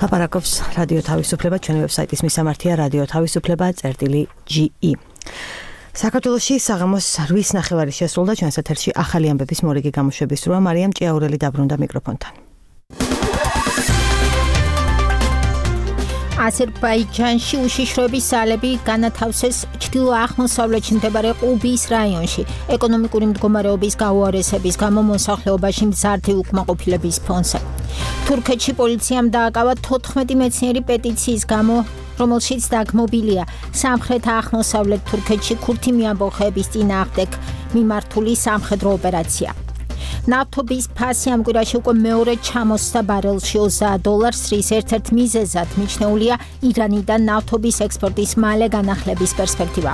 ლაპარაკობს რადიო თავისუფლება, ჩვენი ვებსაიტის მისამართია radio-tavisupleba.ge. საქართველოში საღამოს 8:30 შესრულდა ჩვენს ეთერში ახალი ამბების მორიგი გამოშვების სრუა. მარიამ ჭიაურელი დაბრუნდა მიკროფონთან. აზერბაიჯანში უშიშროების ძალები განათავსეს ჩრდილო-აღმოსავლეთში მდებარე ყუბის რაიონში. ეკონომიკური მდგომარეობის გაუარესების გამო მოსახლეობაში მზარდი უკმაყოფილების ფონზე. თურქეთში პოლიციამ დააკავა 14 მეცნიერი პეტიციის გამო, რომელშიც დაგმობილია სამხრეთ-აღმოსავლეთ თურქეთში ქურთი მიამბოხეების წინააღმდეგ მიმართული სამხედრო ოპერაცია. ნავთობის ფასი ამ კვირაში უკვე მეორე ჩამოსდა ბარელში $30, რის ერთ-ერთ მიზეზად მიჩნეულია ირანიდან ნავთობის ექსპორტის მალე განახლების პერსპექტივა.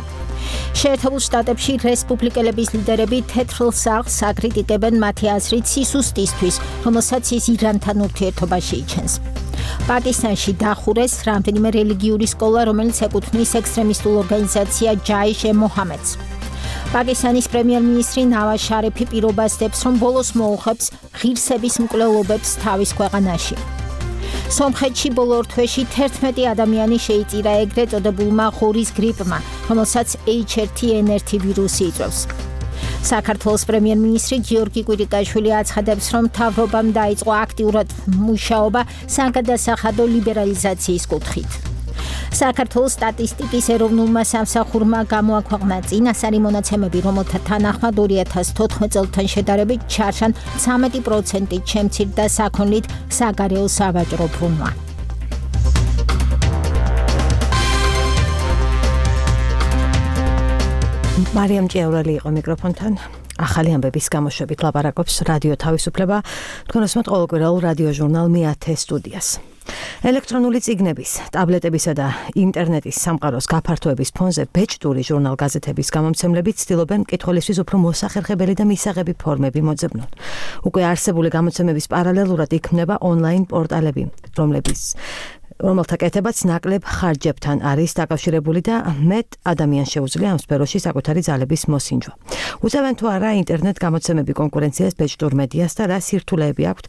შეერთებულ შტატებში რესპუბლიკელების ლიდერები თეთრ სახლს აკრიტიკებენ მათი აზრით სისუსტისთვის, რომელსაც ის ირანთან ურთიერთობაში იჩენს. პაკისტანში დახურეს რამდენიმე რელიგიური სკოლა, რომელიც ეკუთვნის ექსტრემისტულ ორგანიზაცია ჯაიშ-ე-მოჰამედს. პაკისტანის პრემიერ-მინისტრი ნავაზ შარიფი პირობას დებს, რომ ბოლოს მოუხებს ღირსების მკვლელობებს თავის ქვეყანაში. სომხეთში ბოლო ორ თვეში 11 ადამიანი შეიწირა ეგრეთ წოდებულმა ღორის გრიპმა, რომელსაც H1N1 ვირუსი იწვევს. საქართველოს პრემიერ-მინისტრი გიორგი კვირიკაშვილი აცხადებს, რომ მთავრობამ დაიწყო აქტიურად მუშაობა საგადასახადო ლიბერალიზაციის კუთხით. საქართველოს სტატისტიკის ეროვნულმა სამსახურმა გამოაქვეყნა წინასწარი მონაცემები, რომელთა თანახმად 2014 წელთან შედარებით ჩარჩან 13%-ით შემცირდა საქონლით საგარეო სავაჭრო ბრუნვა. მარიამ ჭიაურელი იყო მიკროფონთან. ახალი ამბების გამოშვებით ლაპარაკობს რადიო თავისუფლება, თქვენ უსმენთ ყოველკვირეულ რადიო ჟურნალ მე-10 სტუდიას. ელექტრონული წიგნების, ტაბლეტებისა და ინტერნეტის სამყაროს გაფართოების ფონზე ბეჭდური ჟურნალ-გაზეთების გამომცემლები ცდილობენ მკითხველისთვის უფრო მოსახერხებელი და მისაღები ფორმები მოძებნონ. უკვე არსებული გამოცემების პარალელურად იქმნება ონლაინ პორტალები, რომელთა კეთებაც ნაკლებ ხარჯებთან არის დაკავშირებული და მეტ ადამიანს შეუძლია ამ სფეროში საკუთარი ძალების მოსინჯვა. უწევენ თუ არა ინტერნეტ გამოცემები კონკურენციას ბეჭდურ მედიას და რა სირთულეები აქვთ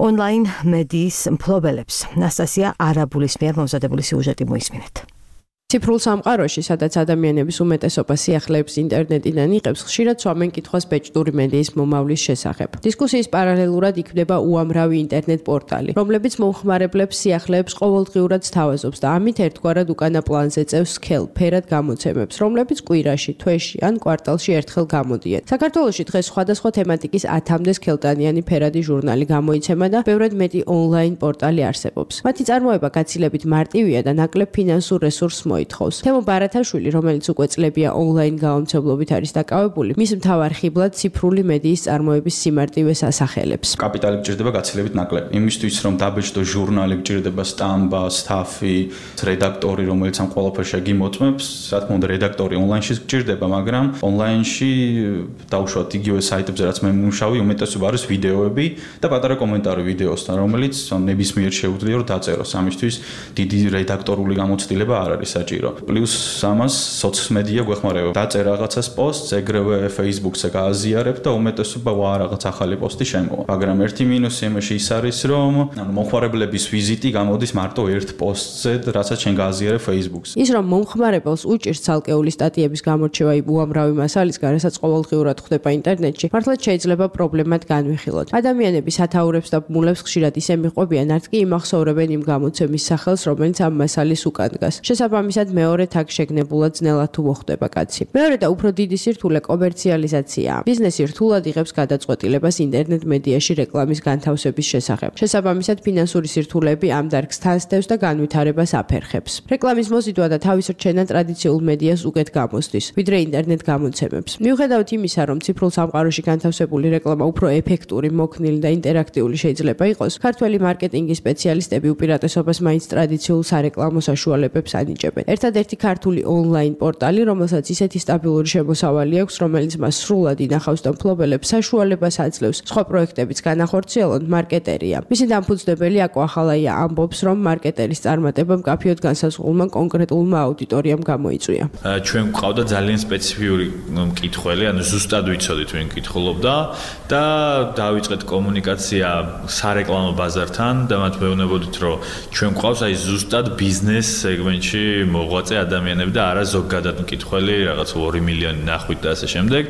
ონლაინ მედიის მფლობელებს. ნასტასია არაბულის მიერ მომზადებული სიუჟეტი მოისმინეთ. ციფრულ სამყაროში, სადაც ადამიანების უმეტესობა სიახლეებს ინტერნეტიდან იღებს, ხშირად სვამენ კითხვას ბეჭდური მედიის მომავლის შესახებ. დისკუსიის პარალელურად იქმნება უამრავი ინტერნეტ პორტალი, რომლებიც მომხმარებლებს სიახლეებს ყოველდღიურად სთავაზობს და ამით ერთგვარად უკანა პლანზე წევს სქელ, ფერად გამოცემებს, რომლებიც კვირაში, თვეში ან კვარტალში ერთხელ გამოდიან. საქართველოში დღეს სხვადასხვა თემატიკის 10-მდე სქელტანიანი ფერადი ჟურნალი გამოიცემა და ბევრად მეტი ონლაინ პორტალი არსებობს. მათი წარმოება გაცილებით მარტივია და ნაკლებ ფინანსურ რესურსს ითხოვს. თემო ბარათაშვილი, რომელიც უკვე წლებია ონლაინ გამომცემლობით არის დაკავებული, მის მთავარ ხიბლად ციფრული მედიის წარმოების სიმარტივეს ასახელებს. კაპიტალი გჭირდება გაცილებით ნაკლები. იმისთვის, რომ დაბეჭდო ჟურნალი გჭირდება სტამბა, სტაფი, რედაქტორი, რომელიც ამ ყველაფერს გიმოწმებს. რა თქმა უნდა, რედაქტორი ონლაინში გჭირდება, მაგრამ ონლაინში დაუშვათ იგივე საიტებზე, რაც მე მუშაობ, უმეტესობა არის ვიდეოები და პატარა კომენტარი ვიდეოსთან, რომელიც ნებისმიერ შეუძლია რომ დაწეროს. ამისთვის დიდი რედაქტორული გამოცდილება არ არის საჭირო. პლუს ამას სოციმედია გვეხმარება. დაწერ რაღაცას პოსტს, ეგრევე Facebook-ზე გააზიარებ და უმეტესობა ვა რაღაც ახალი პოსტი შემოვა. მაგრამ ერთი მინუსი იმაში ის არის, რომ მომხმარებლების ვიზიტი გამოდის მარტო ერთ პოსტზე, რასაც შენ გააზიარებ Facebook-ზე. ის რომ მომხმარებელს უჭირს ცალკეული სტატიების გამორჩევა უამრავი მასალისგან, რასაც ყოველდღიურად ხდება ინტერნეტში, მართლაც შეიძლება პრობლემად განვიხილოთ. ადამიანები სათაურებს და ბმულებს ხშირად ისე მიყვებიან, არც კი იმახსოვრებენ იმ გამოცემის სახელს, რომელიც ამ მასალის უკან დგას. შესაბამისად მეორე თაგ შეგნებულად ძნელად თუ მოხდება კაცი. მეორე და უფრო დიდი სირთულე კომერციალიზაციაა. ბიზნესი რთულად იღებს გადაწყვეტილებას ინტერნეტ მედიაში რეკლამის განთავსების შესახებ. შესაბამისად ფინანსური სირთულეები ამ დარგს თანსდევს და განვითარებას აფერხებს. რეკლამის მოზიდვა და თავის რჩენა ტრადიციულ მედიას უკეთ გამოსდის, ვიდრე ინტერნეტ გამოცემებს. მიუხედავად იმისა, რომ ციფრულ სამყაროში განთავსებული რეკლამა უფრო ეფექტური, მოქნილი და ინტერაქტიული შეიძლება იყოს, ქართველი მარკეტინგის სპეციალისტები უპირატესობას მაინც ტრადიციულ სარეკლამო საშუალებებს ანიჭებენ. ერთადერთი ქართული ონლაინ პორტალი, რომელსაც ისეთი სტაბილური შემოსავალი აქვს, რომელიც მას სრულად ინახავს და მფლობელებს საშუალებას აძლევს სხვა პროექტებიც განახორციელონ, მარკეტერია. მისი დამფუძნებელი აკო ახალაია ამბობს, რომ მარკეტერის წარმატება მკაფიოდ განსაზღვრულმა კონკრეტულმა აუდიტორიამ გამოიწვია. ჩვენ გვყავდა ძალიან სპეციფიური მკითხველი, ანუ ზუსტად ვიცოდით ვინ კითხულობდა და დავიწყეთ კომუნიკაცია სარეკლამო ბაზართან და მათ ვეუბნებოდით, რომ ჩვენ გვყავს აი ზუსტად ბიზნეს სეგმენტში მოღვაწე ადამიანები და არა ზოგადად მკითხველი, რაღაც 2 მილიონი ნახვით და ასე შემდეგ.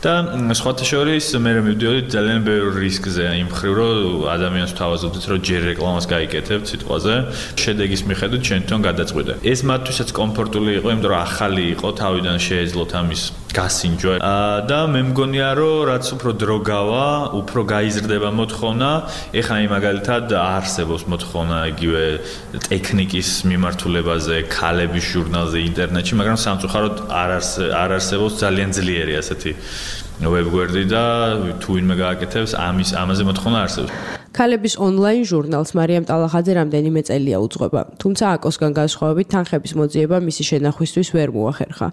და სხვათა შორის მე მივდიოდით ძალიან ბევრ რისკზე იმ მხრივ, რომ ადამიანს ვთავაზობდით, რომ ჯერ რეკლამას გაიკეთებთ სიტყვაზე, შედეგის მიხედვით ჩვენ თვითონ გადაწყვიტე. ეს მათთვისაც კომფორტული იყო, იმიტომ რომ ახალი იყო, თავიდან შეეძლოთ ამის გასინჯვა და მე მგონია, რომ რაც უფრო დრო გავა, უფრო გაიზრდება მოთხოვნა. ეხლა აი მაგალითად არსებობს მოთხოვნა იგივე ტექნიკის მიმართულებაზე, ქალების ჟურნალზე, ინტერნეტში, მაგრამ სამწუხაროდ არ არსებობს ძალიან ძლიერი ასეთი ვებგვერდი და თუ ვინმე გააკეთებს ამაზე მოთხოვნა არსებობს. ქალების ონლაინ ჟურნალს მარიამ ტალახაძე რამდენიმე წელია უძღვება, თუმცა აკოსგან განსხვავებით თანხების მოძიება მისი შენახვისთვის ვერ მოახერხა.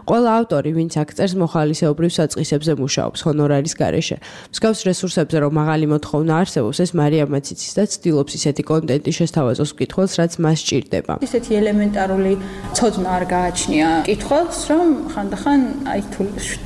ყველა ავტორი, ვინც აქ წერს, მოხალისეობრივ საწყისებზე მუშაობს ჰონორარის გარეშე. მსგავს რესურსებზე რომ მაღალი მოთხოვნა არსებობს, ეს მარიამაც იცის და ცდილობს ისეთი კონტენტი შესთავაზოს მკითხველს, რაც მას სჭირდება. ისეთი ელემენტარული ცოდნა არ გააჩნია მკითხველს, რომ ხანდახან აი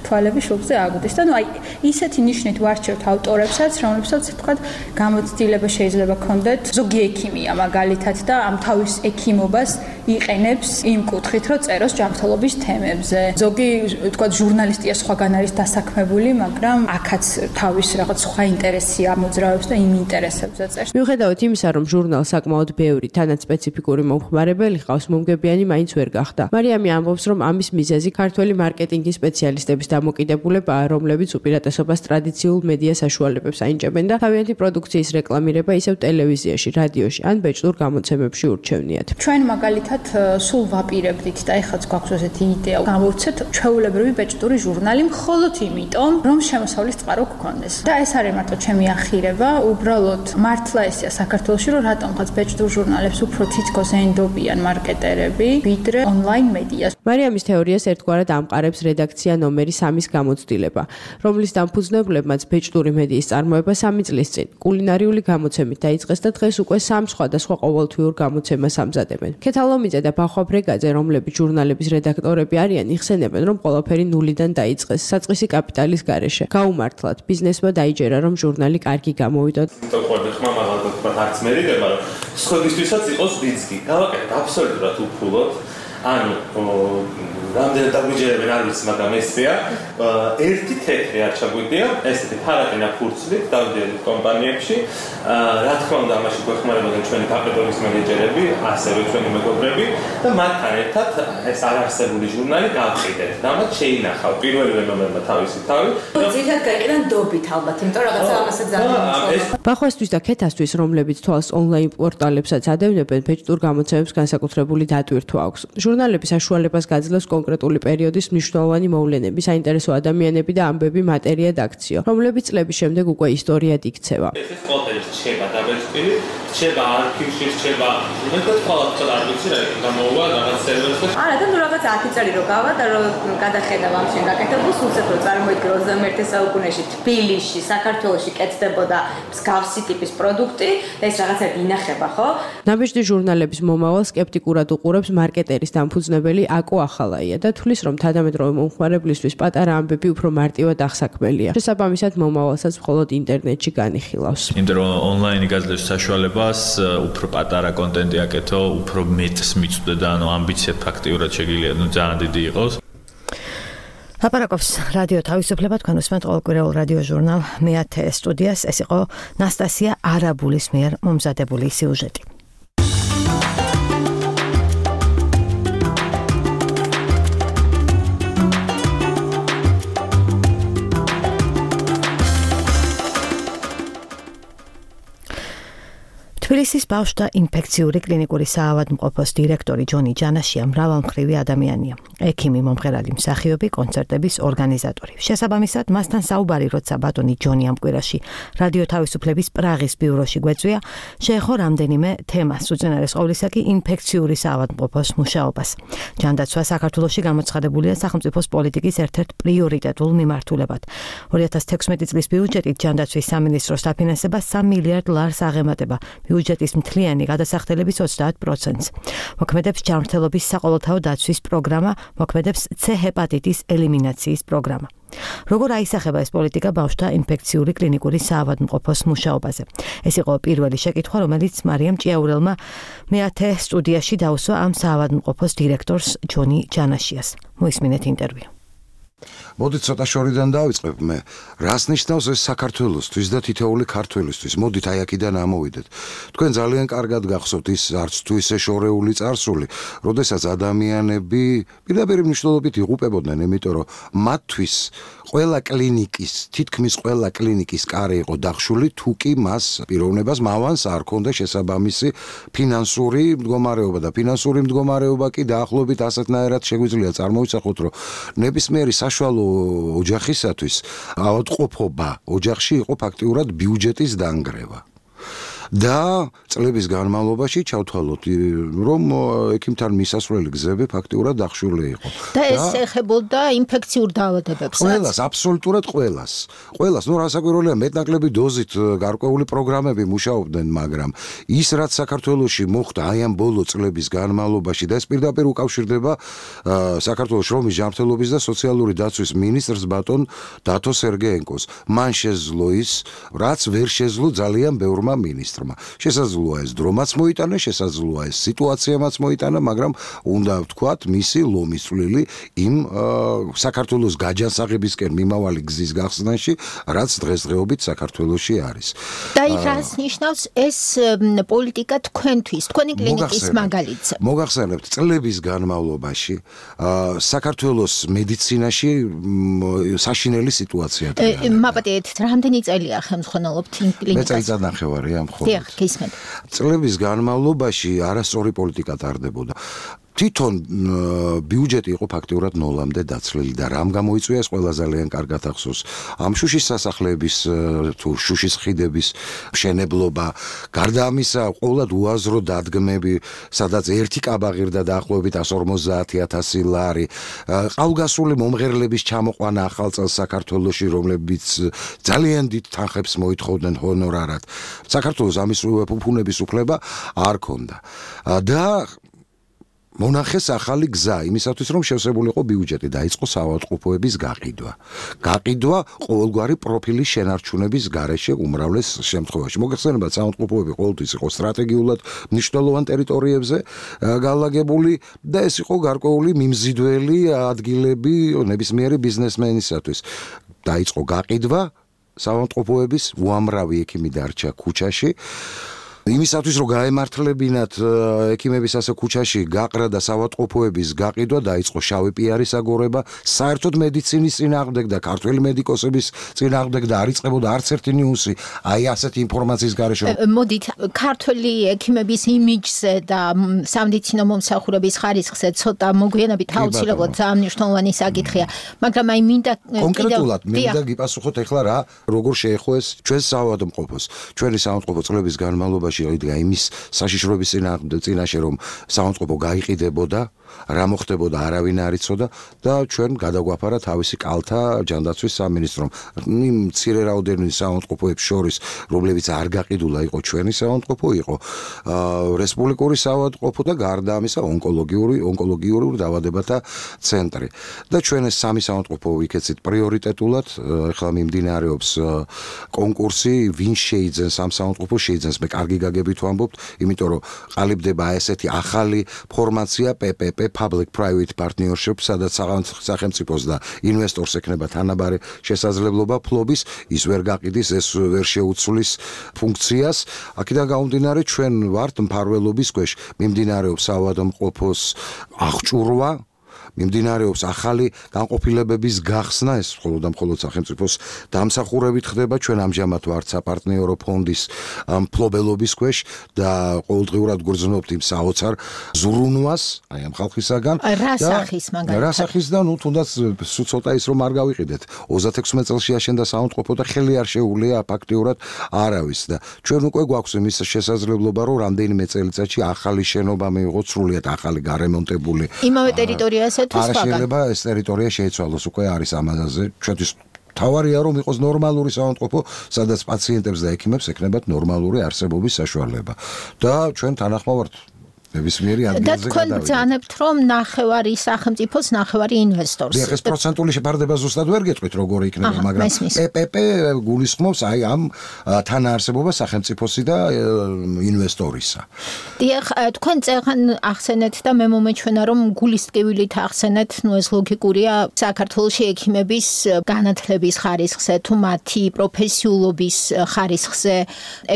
თვალები შუბლზე აგვდის და ნუ აი ისეთი ნიშნით ვარჩევთ ავტორებსაც, რომლებსაც თქვა გამოცდილება შეიძლება ქონდეთ ზოგი ექიმია მაგალითად და ამ თავის ექიმობას იყენებს იმ კუთხით, რომ წეროს ჯანმრთელობის თემებზე. ზოგი თქვა ჟურნალისტია სხვაგან არის დასაქმებული, მაგრამ აქაც თავის რაღაც სხვა ინტერესია მოძრაობს და იმ ინტერესებზე წერს. მიუხედავად იმისა, რომ ჟურნალს საკმაოდ ბევრი თანაც სპეციფიკური მომხმარებელი ჰყავს, მომგებიანი მაინც ვერ გახდა. მარიამი ამბობს, რომ ამის მიზეზი ქართველი მარკეტინგის სპეციალისტების დამოკიდებულებაა, რომლებიც უპირატესობას ტრადიციულ მედია საშუალებებს აინჭებენ და თავიანთი პროდუქციის რეკლამირება ისევ ტელევიზიაში, რადიოში ან ბეჭდურ გამოცემებში ურჩევნიათ. ჩვენ მაგალითად სულ ვაპირებდით და ეხლაც გვაქვს ესეთი იდეა გამოვცეთ ჩვეულებრივი ბეჭდური ჟურნალი მხოლოდ იმიტომ, რომ შემოსავლის წყარო გქონდეს. და ეს არის მარტო ჩემი ახირება, უბრალოდ მართლა ესეა საქართველოში, რომ რატომღაც ბეჭდურ ჟურნალებს უფრო თითქოს ენდობიან მარკეტერები, ვიდრე ონლაინ მედიას. მარიამის თეორიას ერთგვარად ამყარებს რედაქცია ნომერი 3-ის გამოცდილება, რომლის დამფუძნებლებმაც ბეჭდური მედიის წარმოება 3 წლის წინ კულინარიული გამოცემით დაიწყეს და დღეს უკვე 3 სხვადასხვა ყოველთვიურ გამოცემას ამზადებენ. ქეთალომიძე და ბახვა ბრეგაძე, რომლებიც ჟურნალების რედაქტორები არიან, იხსენებენ, რომ ყველაფერი ნულიდან დაიწყეს საწყისი კაპიტალის გარეშე. გაუმართლად ბიზნესმა დაიჯერა, რომ ჟურნალი კარგი გამოვიდა. თქო, ხმა მაგალითად არც მერიდება, რომ სხვებისთვისაც იყოს რისკი. გავაკეთეთ აბსოლუტურად უფულოდ. ანუ რამდენად დაგვიჯერებენ არ ვიცი, მაგრამ ესეა. ერთი თეთრი არ ჩაგვიდია, ესეთი ფარატინა ფურცლით დავდიოდით კომპანიებში. რა თქმა უნდა, ამაში გვეხმარებოდნენ ჩვენი კაპიტალის მენეჯერები, ასევე ჩვენი მეგობრები და მათთან ერთად ეს არარსებული ჟურნალი გავყიდეთ. და მათ შეინახავ პირველივე ნომერმა თავისი თავი. ძირითადად გაიყენან დობით ალბათ, იმიტომ რომ რაღაცა ამასაც ძალიან ბახვასთვის და ქეთასთვის, რომლებიც თვალს ონლაინ პორტალებსაც ადევნებენ, ბეჭდურ გამოცემებს განსაკუთრებული დატვირთვა აქვს. ჟურნალები საშუალებას გაძლევს კონკრეტული პერიოდის მნიშვნელოვანი მოვლენები, საინტერესო ადამიანები და ამბები მატერიად აქციო, რომლებიც წლების შემდეგ უკვე ისტორიად იქცევა. ეს ყველაფერი რჩება დაბეჭდილი, რჩება არქივში, რჩება მეტად ყოველთვის არ ვიცი რა გამოვა რაღაც სერვერზე. არა და ნუ რაღაც 10 წელი რო გავა და რო გადახედავ ამ შენ გაკეთებულს, უცებ რო წარმოიდგინე 21 საუკუნეში თბილისში, საქართველოში კეთდებოდა მსგავსი ტიპის პროდუქტი და ეს რაღაცა ინახება, ხო? ნაბეჭდი ჟურნალების მომავალ სკეპტიკურად უყურებს მარკეტერის დამფუძნებელი აკო ახალაია და თვლის, რომ თანამედროვე მომხმარებლისთვის პატარა ამბები უფრო მარტივად აღსაქმელია. შესაბამისად, მომავალსაც მხოლოდ ინტერნეტში განიხილავს. იმიტომ რომ ონლაინი გაძლევს საშუალებას უფრო პატარა კონტენტი აკეთო, უფრო მეტს მიწვდე და ანუ ამბიცია ფაქტიურად შეგიძლია ძალიან დიდი იყოს. ლაპარაკობს რადიო თავისუფლება, თქვენ უსმენთ ყოველკვირეულ რადიო ჟურნალ მე-10 სტუდიას. ეს იყო ნასტასია არაბულის მიერ მომზადებული სიუჟეტი. თბილისის ბავშვთა ინფექციური კლინიკური საავადმყოფოს დირექტორი ჯონი ჯანაშია მრავალმხრივი ადამიანია. ექიმი, მომღერალი, მსახიობი, კონცერტების ორგანიზატორი. შესაბამისად, მასთან საუბარი, როცა ბატონი ჯონი ამ კვირაში რადიო თავისუფლების პრაღის ბიუროში გვეწვია, შეეხო რამდენიმე თემას, უწინარეს ყოვლისა კი ინფექციური საავადმყოფოს მუშაობას. ჯანდაცვა საქართველოში გამოცხადებულია სახელმწიფოს პოლიტიკის ერთ-ერთ პრიორიტეტულ მიმართულებად. 2016 წლის ბიუჯეტით ჯანდაცვის სამინისტროს დაფინანსება 3 მილიარდ ლარს აღემატება. ბიუჯეტის მთლიანი გადასახდელების 30%. მოქმედებს ჯანმრთელობის საყოველთაო დაცვის პროგრამა, მოქმედებს C ჰეპატიტის ელიმინაციის პროგრამა. როგორ აისახება ეს პოლიტიკა ბავშვთა ინფექციური კლინიკური საავადმყოფოს მუშაობაზე? ეს იყო პირველი შეკითხვა, რომელიც მარიამ ჭიაურელმა მეათე სტუდიაში დაუსვა ამ საავადმყოფოს დირექტორს ჯონი ჯანაშიას. მოისმინეთ ინტერვიუ. მოდით ცოტა შორიდან დავიწყებ მე. რას ნიშნავს ეს საქართველოსთვის და თითოეული ქართველისთვის? მოდით აი აქედან ამოვიდეთ. თქვენ ძალიან კარგად გახსოვთ ის არც თუ ისე შორეული წარსული, როდესაც ადამიანები პირდაპირ მნიშვნელობით იღუპებოდნენ, იმიტომ რომ მათთვის ყველა კლინიკის, თითქმის ყველა კლინიკის კარი იყო დახშული, თუ კი მას პიროვნებას მავანს არ ქონდა შესაბამისი ფინანსური მდგომარეობა და ფინანსური მდგომარეობა კი დაახლოებით ასეთნაირად შეგვიძლია წარმოვიძახოთ, რომ ნებისმიერი საშუალო ოჯახისათვის ავადმყოფობა ოჯახში იყო ფაქტიურად ბიუჯეტის დანგრევა. და წლების განმავლობაში ჩავთვალოთ, რომ ექიმთან მისასვლელი გზები ფაქტიურად დახშული იყო. და ეს ეხებოდა ინფექციურ დაავადებებს. ყველას, აბსოლუტურად ყველას. ყველას, ნუ რასაკვირველია, მეტნაკლები დოზით გარკვეული პროგრამები მუშაობდნენ, მაგრამ ის რაც საქართველოში მოხდა აი ამ ბოლო წლების განმავლობაში და ეს პირდაპირ უკავშირდება საქართველოს შრომის ჯანმრთელობის და სოციალური დაცვის მინისტრს ბატონ დათო სერგეენკოს. მან შეძლო ის, რაც ვერ შეძლო ძალიან ბევრმა მინისტრმა. შესაძლოა ეს დრომაც მოიტანა, შესაძლოა ეს სიტუაციამაც მოიტანა, მაგრამ უნდა ვთქვათ, მისი ლომის წვლილი იმ საქართველოს გაჯანსაღებისკენ მიმავალი გზის გახსნაში, რაც დღესდღეობით საქართველოში არის. და იქ რას ნიშნავს ეს პოლიტიკა თქვენთვის, თქვენი კლინიკის მაგალითზე? მოგახსენებთ, წლების განმავლობაში საქართველოს მედიცინაში საშინელი სიტუაცია იყო. მაპატიეთ, რამდენი წელია ხელმძღვანელობთ იმ კლინიკას? მე წელიწადნახევარი ამ ხოლმე. წლების განმავლობაში არასწორი პოლიტიკა ტარდებოდა. თვითონ ბიუჯეტი იყო ფაქტიურად ნოლამდე დაცლილი და რამ გამოიწვია ეს ყველა ძალიან კარგად ახსოვს. ამ შუშის სასახლეების თუ შუშის ხიდების მშენებლობა, გარდა ამისა, ყოველად უაზრო დადგმები, სადაც ერთი კაბა ღირდა დაახლოებით 150,000 ლარი, ყავგასული მომღერლების ჩამოყვანა ახალ წელს საქართველოში, რომლებიც ძალიან დიდ თანხებს მოითხოვდნენ ჰონორარად. საქართველოს ამის ფუფუნების უფლება არ ქონდა. და მონახეს ახალი გზა იმისათვის, რომ შევსებულიყო ბიუჯეტი, დაიწყო საავადმყოფოების გაყიდვა. გაყიდვა ყოველგვარი პროფილის შენარჩუნების გარეშე უმრავლეს შემთხვევაში. მოგეხსენებათ, საავადმყოფოები ყოველთვის იყო სტრატეგიულად მნიშვნელოვან ტერიტორიებზე განლაგებული და ეს იყო გარკვეული მიმზიდველი ადგილები ნებისმიერი ბიზნესმენისათვის. დაიწყო გაყიდვა საავადმყოფოების, უამრავი ექიმი დარჩა ქუჩაში. იმისათვის რომ გაემართლებინათ ექიმების ასე ქუჩაში გაყრა და საავადმყოფოების გაყიდვა, დაიწყო შავი პიარის აგორება, საერთოდ მედიცინის წინააღმდეგ და ქართველი მედიკოსების წინააღმდეგ და არ იწყებოდა არც ერთი ნიუსი აი ასეთი ინფორმაციის გარეშე. მოდით, ქართველი ექიმების იმიჯზე და სამედიცინო მომსახურების ხარისხზე ცოტა მოგვიანებით აუცილებლად ძალიან მნიშვნელოვანი საკითხია, მაგრამ აი მინდა კონკრეტულად მინდა გიპასუხოთ ეხლა რა როგორ შეეხო ეს ჩვენს საავადმყოფოს. ჩვენი საავადმყოფო წლების განმავლობაში იდგა იმის საშიშროების წინაშე, რომ საავადმყოფო გაიყიდებოდა, რა მოხდებოდა არავინ არ იცოდა და ჩვენ გადაგვაფარა თავისი კალთა ჯანდაცვის სამინისტრომ. იმ მცირე რაოდენობის საავადმყოფოებს შორის, რომლებიც არ გაყიდულა, იყო ჩვენი საავადმყოფო, იყო რესპუბლიკური საავადმყოფო და გარდა ამისა ონკოლოგიური დაავადებათა ცენტრი. და ჩვენ ეს სამი საავადმყოფო ვიქეცით პრიორიტეტულად, ეხლა მიმდინარეობს კონკურსი, ვინ შეიძენს ამ საავადმყოფოს, შეიძენს, მე კარგი გაგებით ვამბობთ, იმიტომ რომ ყალიბდება ესეთი ახალი ფორმაცია PPP, Public Private Partnership, სადაც სახელმწიფოს და ინვესტორს ექნება თანაბარი შესაძლებლობა ფლობის, ის ვერ გაყიდის, ეს ვერ შეუცვლის ფუნქციას. აქედან გამომდინარე, ჩვენ ვართ მფარველობის ქვეშ, მიმდინარეობს საავადმყოფოს აღჭურვა მიმდინარეობს ახალი განყოფილებების გახსნა, ეს მხოლოდ და მხოლოდ სახელმწიფოს დამსახურებით ხდება. ჩვენ ამჟამად ვართ საპარტნიორო ფონდის მფლობელობის ქვეშ და ყოველდღიურად გვგრძნობთ იმ საოცარ ზრუნვას, აი ამ ხალხისაგან. რა სახის მაგალითად? რა სახის და ნუ თუნდაც ცოტა ის რომ არ გავიყიდეთ. 36 წელს შეაშენდა საავადმყოფო და ხელი არ შეუულია ფაქტიურად არავის და ჩვენ უკვე გვაქვს იმის შესაძლებლობა რომ რამდენიმე წელიწადში ახალი შენობა მიიღოთ, სრულიად ახალი გარემონტებული. იმავე ტერიტორიაზე თუ სხვაგან? არ შეიძლება ეს ტერიტორია შეიცვალოს, უკვე არის ამაზე ჩვენთვის თავარია რომ იყოს ნორმალური საავადმყოფო, სადაც პაციენტებს და ექიმებს ექნებათ ნორმალური არსებობის საშუალება. და ჩვენ თანახმოვართ ნებისმიერი ადგილზე და თქვენ ბრძანებთ რომ ნახევარი სახელმწიფოს, ნახევარი ინვესტორს. ეს პროცენტული შეფარდება ზუსტად ვერ გეტყვით როგორი იქნება, მაგრამ PPP გულისხმობს აი ამ თანაარსებობას სახელმწიფოსი და ინვესტორისა. დიახ, თქვენ წეგან ახსენეთ და მე მომეჩვენა რომ გულის ტკივილით ახსენეთ, ნუ ეს ლოგიკურია, საქართველოში ექიმების განათლების ხარისხზე თუ მათი პროფესიულობის ხარისხზე,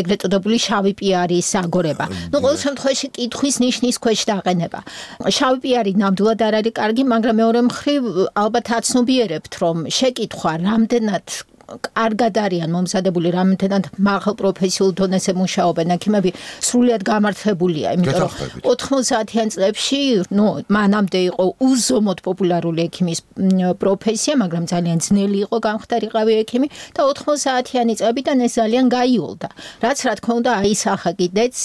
ეგრეთ წოდებული შავი პიარის აგორება. ნუ ყოველ შემთხვევაში კითხვის ნიშნის ქვეშ დაყენება. შავი პიარი ნამდვილად არ არის კარგი, მაგრამ მეორე მხრივ ალბათ აცნობიერებთ, რომ შეკითხვა რამდენად კარგად არიან მომზადებული, რამდენად მაღალ პროფესიულ დონეზე მუშაობენ ექიმები, სრულიად გამართლებულია, იმიტომ რომ 90-იან წლებში, ნუ მანამდე იყო უზომოდ პოპულარული ექიმის პროფესია, მაგრამ ძალიან ძნელი იყო გამხდარიყავი ექიმი და 90-იანი წლებიდან ეს ძალიან გაიოლდა. რაც რა თქმა უნდა აისახა კიდეც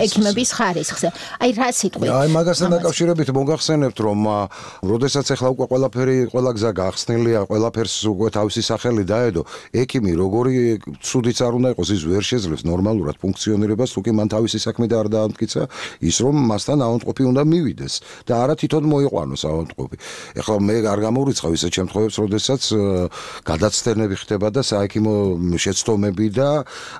ექიმების ხარისხზე. აი რა სიტყვით? აი მაგასთან დაკავშირებით მოგახსენებთ, რომ როდესაც ახლა უკვე ყველა გზა გახსნილია, ყველაფერს უკვე თავისი სახელი დაედო ექიმი როგორი ცუდიც არ უნდა იყოს, ის ვერ შეძლებს ნორმალურად ფუნქციონირებას, თუ კი მან თავისი საქმე და არ დაამტკიცა ის რომ მასთან ავადმყოფი უნდა მივიდეს და არა თვითონ მოიყვანოს ავადმყოფი. ეხლა მე არ გამორიცხავ ისეთ შემთხვევებს, როდესაც გადაცდენები ხდება და საექიმო შეცდომები და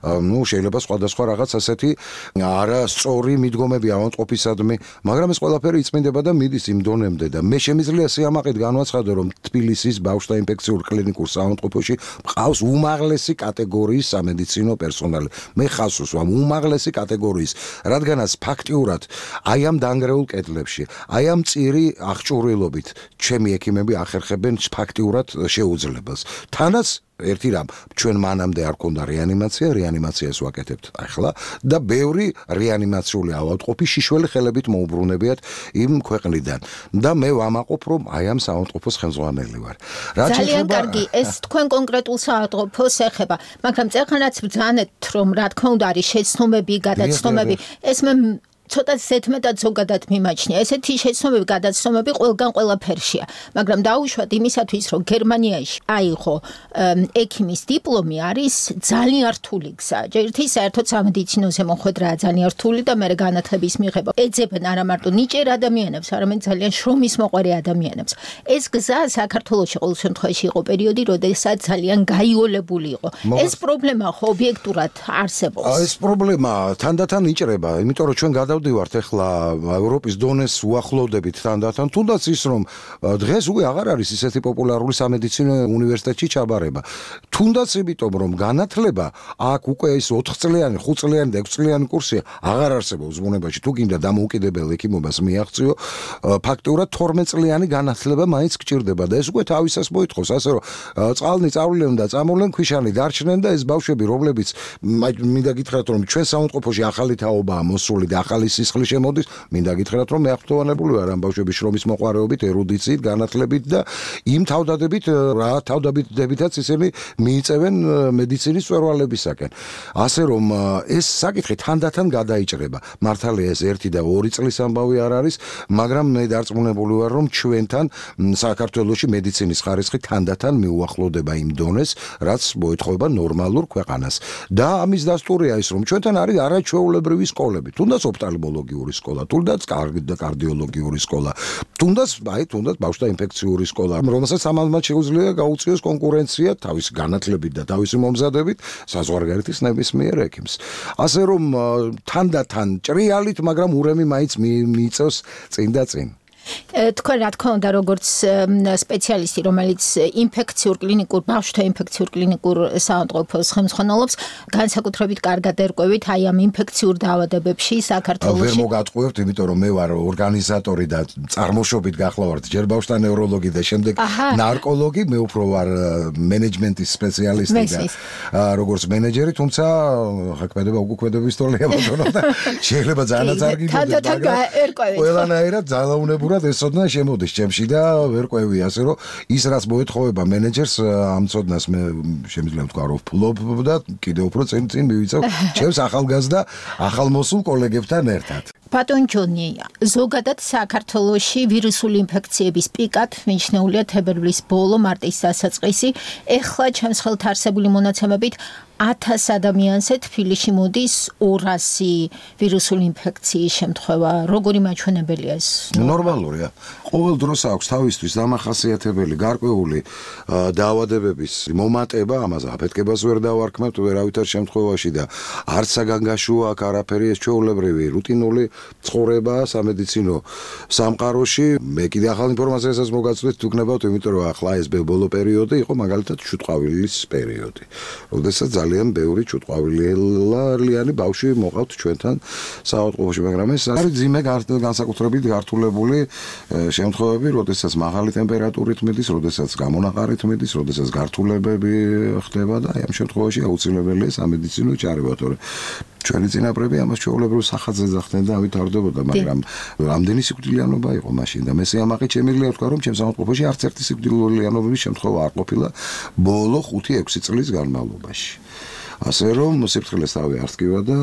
ნუ შეიძლება სხვადასხვა რაღაც ასეთი არასწორი მიდგომები ავადმყოფისადმი, მაგრამ ეს ყველაფერი იწმინდება და მიდის იმ დონემდე და მე შემიძლია სიამაყით განვაცხადო, რომ თბილისის ბავშვთა ინფექციურ კლინიკურ საავადმყოფოში ყავს უმაღლესი კატეგორიის სამედიცინო პერსონალი. მე ხაზს უსვამ უმაღლესი კატეგორიის, რადგანაც ფაქტიურად აი ამ დანგრეულ კედლებში, აი ამ წირი აღჭურვილობით ჩემი ექიმები ახერხებენ ფაქტიურად შეუძლებელს. თანაც ერთი რამ, ჩვენ მანამდე არ ქონდა რეანიმაციას ვაკეთებთ ახლა და ბევრი რეანიმაციული ავადმყოფი შიშველი ხელებით მოუბრუნებიათ იმ ქვეყნიდან და მე ვამაყობ რომ აი ამ საავადმყოფოს ხელმძღვანელი ვარ. ძალიან კარგი, ეს თქვენ კონკრეტულ საავადმყოფოს ეხება, მაგრამ წეხანაც ბრძანეთ რომ რა თქმა უნდა არის შეცდომები, გადაცდომები, ეს მე ცოტა ზედმეტად ზოგადად მიმაჩნია. ესეთი შეცდომები, გადაცდომები ყველგან ყველაფერშია, მაგრამ დაუშვათ იმისათვის, რომ გერმანიაში აიღო ექიმის დიპლომი არის ძალიან რთული გზა. ერთი საერთოდ სამედიცინოზე მოხვედრაა ძალიან რთული და მე განათლების მიღება ეძებენ არა მარტო ნიჭიერ ადამიანებს, არამედ ძალიან შრომის მოყვარე ადამიანებს. ეს გზა საქართველოში ყოველ შემთხვევაში იყო პერიოდი, როდესაც ძალიან გაიოლებული იყო. ეს პრობლემა ხო ობიექტურად არსებობს. ეს პრობლემა თანდათან იჭრება, იმიტომ რომ ჩვენ დავდივართ ახლა ევროპის დონეს უახლოვდებით თანდათან, თუნდაც ის რომ დღეს უკვე აღარ არის ისეთი პოპულარული სამედიცინო უნივერსიტეტში ჩაბარება. თუნდაც იმიტომ რომ განათლება აქ უკვე ის 4 წლიანი, 5 წლიანი და 6 წლიანი კურსია აღარ არსებობს ბუნებაში. თუ გინდა დამოუკიდებელ ექიმობას მიაღწიო, ფაქტიურად 12 წლიანი განათლება მაინც გჭირდება და ეს უკვე თავისას მოითხოვს, ასე რომ წყალნი წავლენ და წამოვლენ, ქვიშანი დარჩნენ და ეს ბავშვები, რომლებიც მინდა გითხრათ რომ ჩვენ საავადმყოფოში ახალი თაობაა მოსული და ახალი სისხლი შემოდის, მინდა გითხრათ რომ მე აღფრთოვანებული ვარ ამ ბავშვების შრომის მოყვარეობით, ერუდიციით, განათლებით და იმ თავდადებითაც ისინი მიიწევენ მედიცინის მწვერვალებისაკენ. ასე რომ ეს საკითხი თანდათან გადაიჭრება. მართალია ეს 1 და 2 წლის ამბავი არ არის, მაგრამ მე დარწმუნებული ვარ რომ ჩვენთან საქართველოში მედიცინის ხარისხი თანდათან მიუახლოვდება იმ დონეს, რაც მოეთხოვება ნორმალურ ქვეყანას. და ამის დასტურია ის რომ ჩვენთან არის არაჩვეულებრივი სკოლები, თუნდაც ოფტალმოლოგიური სკოლა, თუნდაც კარდიოლოგიური სკოლა, თუნდაც ბავშვთა ინფექციური სკოლა, რომელსაც ამალმად შეუძლია გაუწიოს კონკურენცია თავის განათლებით და თავისი მომზადებით საზღვარგარეთის ნებისმიერ ექიმს. ასე რომ თანდათან ჭრიალით, მაგრამ ურემი მაინც მიიწევს წინ და წინ. თქვენ რა თქმა უნდა როგორც სპეციალისტი რომელიც ინფექციურ კლინიკურ ბავშვთა ინფექციურ კლინიკურ საავადმყოფოს ხელმძღვანელობს განსაკუთრებით კარგად ერკვევით აი ამ ინფექციურ დაავადებებში საქართველოში ვერ მოგატყუებთ იმიტომ რომ მე ვარ ორგანიზატორი და წარმოშობით გახლავართ ჯერ ბავშვთა ნევროლოგი და შემდეგ ნარკოლოგი მე უფრო ვარ მენეჯმენტის სპეციალისტი და როგორც მენეჯერი თუმცა ხაკმედება უკუქმედების თოლია ბატონო და შეიძლება ძალიანაც არ გიგებდეს მაგრამ ყველანაირად ძალაუნებურად ესოდნა შემოდის ჩემში და ვერ ყვევი ასე რომ ის რაც მოეთხოვება მენეჯერს ამ ცოდნას მე შემიძლია ვთქვა რომ ვფლობ და კიდევ უფრო წინ მივიწევ ჩემს ახალგაზრდა ახალმოსულ კოლეგებთან ერთად ბატონ ჯონი ზოგადად საქართველოში ვირუსული ინფექციების პიკად მიჩნეულია თებერვლის ბოლო მარტის დასაწყისი ეხლა ჩემს ხელთ არსებული მონაცემებით 1000 ადამიანზე თბილისში მოდის 200 ვირუსული ინფექციის შემთხვევა. როგორი მაჩვენებელია ეს? ნორმალურია. ყოველ დროს აქვს თავისთვის დამახასიათებელი გარკვეული დაავადებების მომატება, ამაზე აფეთქებას ვერ დავარქმევთ ვერავითარ შემთხვევაში და არც საგანგაშოა აქ არაფერი ეს ჩვეულებრივი რუტინული ცხოვრება სამედიცინო სამყაროში. მე კიდე ახალ ინფორმაციასაც მოგაცვლით თუ გნებავთ, იმიტომ რომ ახლა ეს ბოლო პერიოდი იყო მაგალითად ჩუტყვავილის პერიოდი. როდესაც ძალიან ბევრი ჩუტყვავილიანი ბავშვი მოყავთ ჩვენთან საავადმყოფოში, მაგრამ ეს არის ძიმე განსაკუთრებით გართულებული შემთხვევები, როდესაც მაღალი ტემპერატურით მიდის, როდესაც გამონაყარით მიდის, როდესაც გართულებები ხდება და აი ამ შემთხვევაში აუცილებელია სამედიცინო ჩარევა, თორე ჩვენი წინაპრები ამას ჩვეულებრივ სახაზზე ძახდნენ და ავითარდებოდა, მაგრამ რამდენი სიკვდილიანობა იყო მაშინ და მე სიამაყით შემიძლია ვთქვა, რომ ჩემს საავადმყოფოში არც ერთი სიკვდილიანობის შემთხვევა არ ყოფილა ბოლო 5-6 წლის განმავლობაში. ასე რომ სიფრთხილეს თავი არ ტკივა და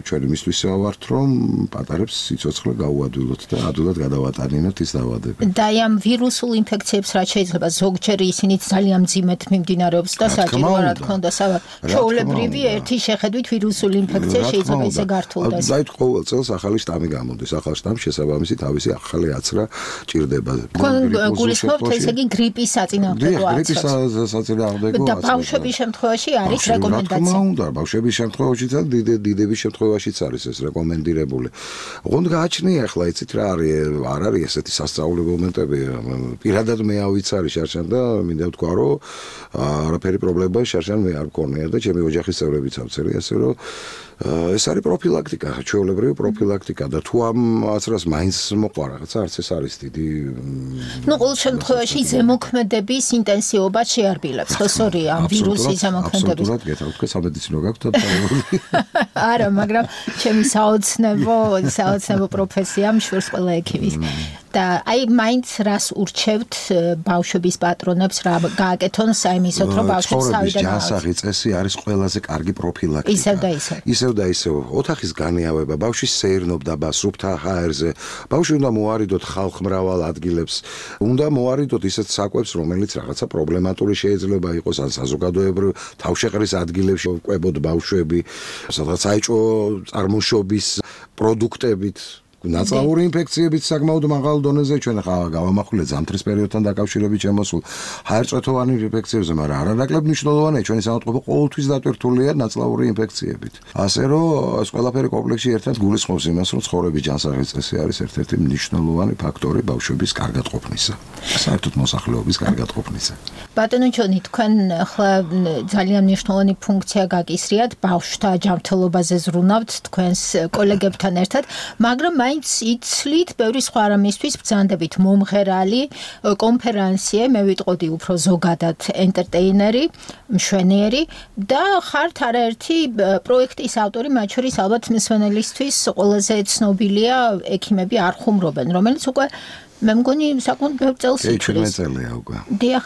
ჩვენი მისთვის ვართ რომ პატარებს სიცოცხლე გაუადვილოთ და ადვილად გადავატანინოთ ის დაავადებები. და ამ ვირუსულ ინფექციებს რაც შეიძლება ზოგჯერ ისინი ძალიან მძიმედ მიმდინარეობს და საჭიროა რა თქმა უნდა ჩვეულებრივი ერთი შეხედვით ვირუსული ინფექცია შეიძლება ისე გართულდეს. დაით ყოველ წელს ახალი შტამი გამოდის, ახალ შტამს შესაბამისი თავისი ახალი აცრა ჭირდება. გულისხმობთ ესე იგი გრიპის საწინააღმდეგო აცრას. გრიპის საწინააღმდეგო აცრას. და ბავშვების შემთხვევაში არის რეკომენდაცია. უნდა ბავშვების შემთხვევაშიც და დიდების შემთხვევაშიც არის ეს რეკომენდირებული. ოღონდ გააჩნია ახლა იცით რა არის არ არის ესეთი სასწაული მომენტები. პირადად მე ავიცარი შარშან და მინდა ვთქვა რომ არაფერი პრობლემა შარშან მე არ მქონია და ჩემი ოჯახის წევრებიც ავწერი ასე რომ ეს არის პროფილაქტიკა, ჩვეულებრივი პროფილაქტიკა და თუ ამ აცრას მაინც მოყვა რაღაცა არც ეს არის დიდი ნუ ყოველ შემთხვევაში ზემოქმედების ინტენსივობა შეარბილებს ხო სწორია ამ ვირუსის ზემოქმედების აბსოლუტურად გეთქვით სამედიცინო გაქვთ დაწესებული არა მაგრამ ჩემი საოცნებო პროფესია მშვენს ყველა ექიმის და აი მაინც რას ურჩევთ ბავშვების პატრონებს რა გააკეთონ საიმისოთ რომ ბავშვებს თავიდან ჯანსაღი წესი არის ყველაზე კარგი პროფილაქტიკა ისევ და ისევ ოთახის განიავება ბავშვის სეირნობდა სუფთა ჰაერზე ბავშვი უნდა მოარიდოთ ხალხმრავალ ადგილებს უნდა მოარიდოთ ისეთ საკვებს რომელიც რაღაცა პრობლემატური შეიძლება იყოს ან საზოგადოებრივ თავშეყრის ადგილებში ყვებოდ ბავშვები სადღაც საეჭვო წარმოშობის პროდუქტებით ნაცვლური ინფექციებით საკმაოდ მაღალ დონეზე ჩვენ ახლა გავამახვილეთ ზამთრის პერიოდთან დაკავშირებით შემოსულ ჰაერწვეთოვანი ინფექციებზე, მაგრამ არანაკლებ მნიშვნელოვანია ჩვენი საავადმყოფო ყოველთვის დატვირთულია ნაცვლური ინფექციებით. ასე რომ ეს ყველაფერი კომპლექსში ერთად გულისხმობს იმას, რომ ცხოვრების ჯანსაღი წესი არის ერთ-ერთი მნიშვნელოვანი ფაქტორი ბავშვების კარგად ყოფნისა. საერთოდ მოსახლეობის კარგად ყოფნისა. ბატონო ჯონი, თქვენ ახლა ძალიან მნიშვნელოვანი ფუნქცია გაკისრიათ ბავშვთა ჯანმრთელობაზე ზრუნავთ თქვენს კოლეგებთან ერთად, მაგრამ იცლით ბევრი სხვა რამისთვის ბრძანდებით მომღერალი კონფერენციე მე ვიტყოდი უფრო ზოგადად ენტერტეინერი მშვენიერი და ხართ არაერთი პროექტის ავტორი მათ შორის ალბათ მსვენელისთვის ყველაზე ცნობილია ექიმები არ ხუმრობენ რომელიც უკვე მე მგონი საკმაოდ ბევრ წელს იქნება წელია უკვე დიახ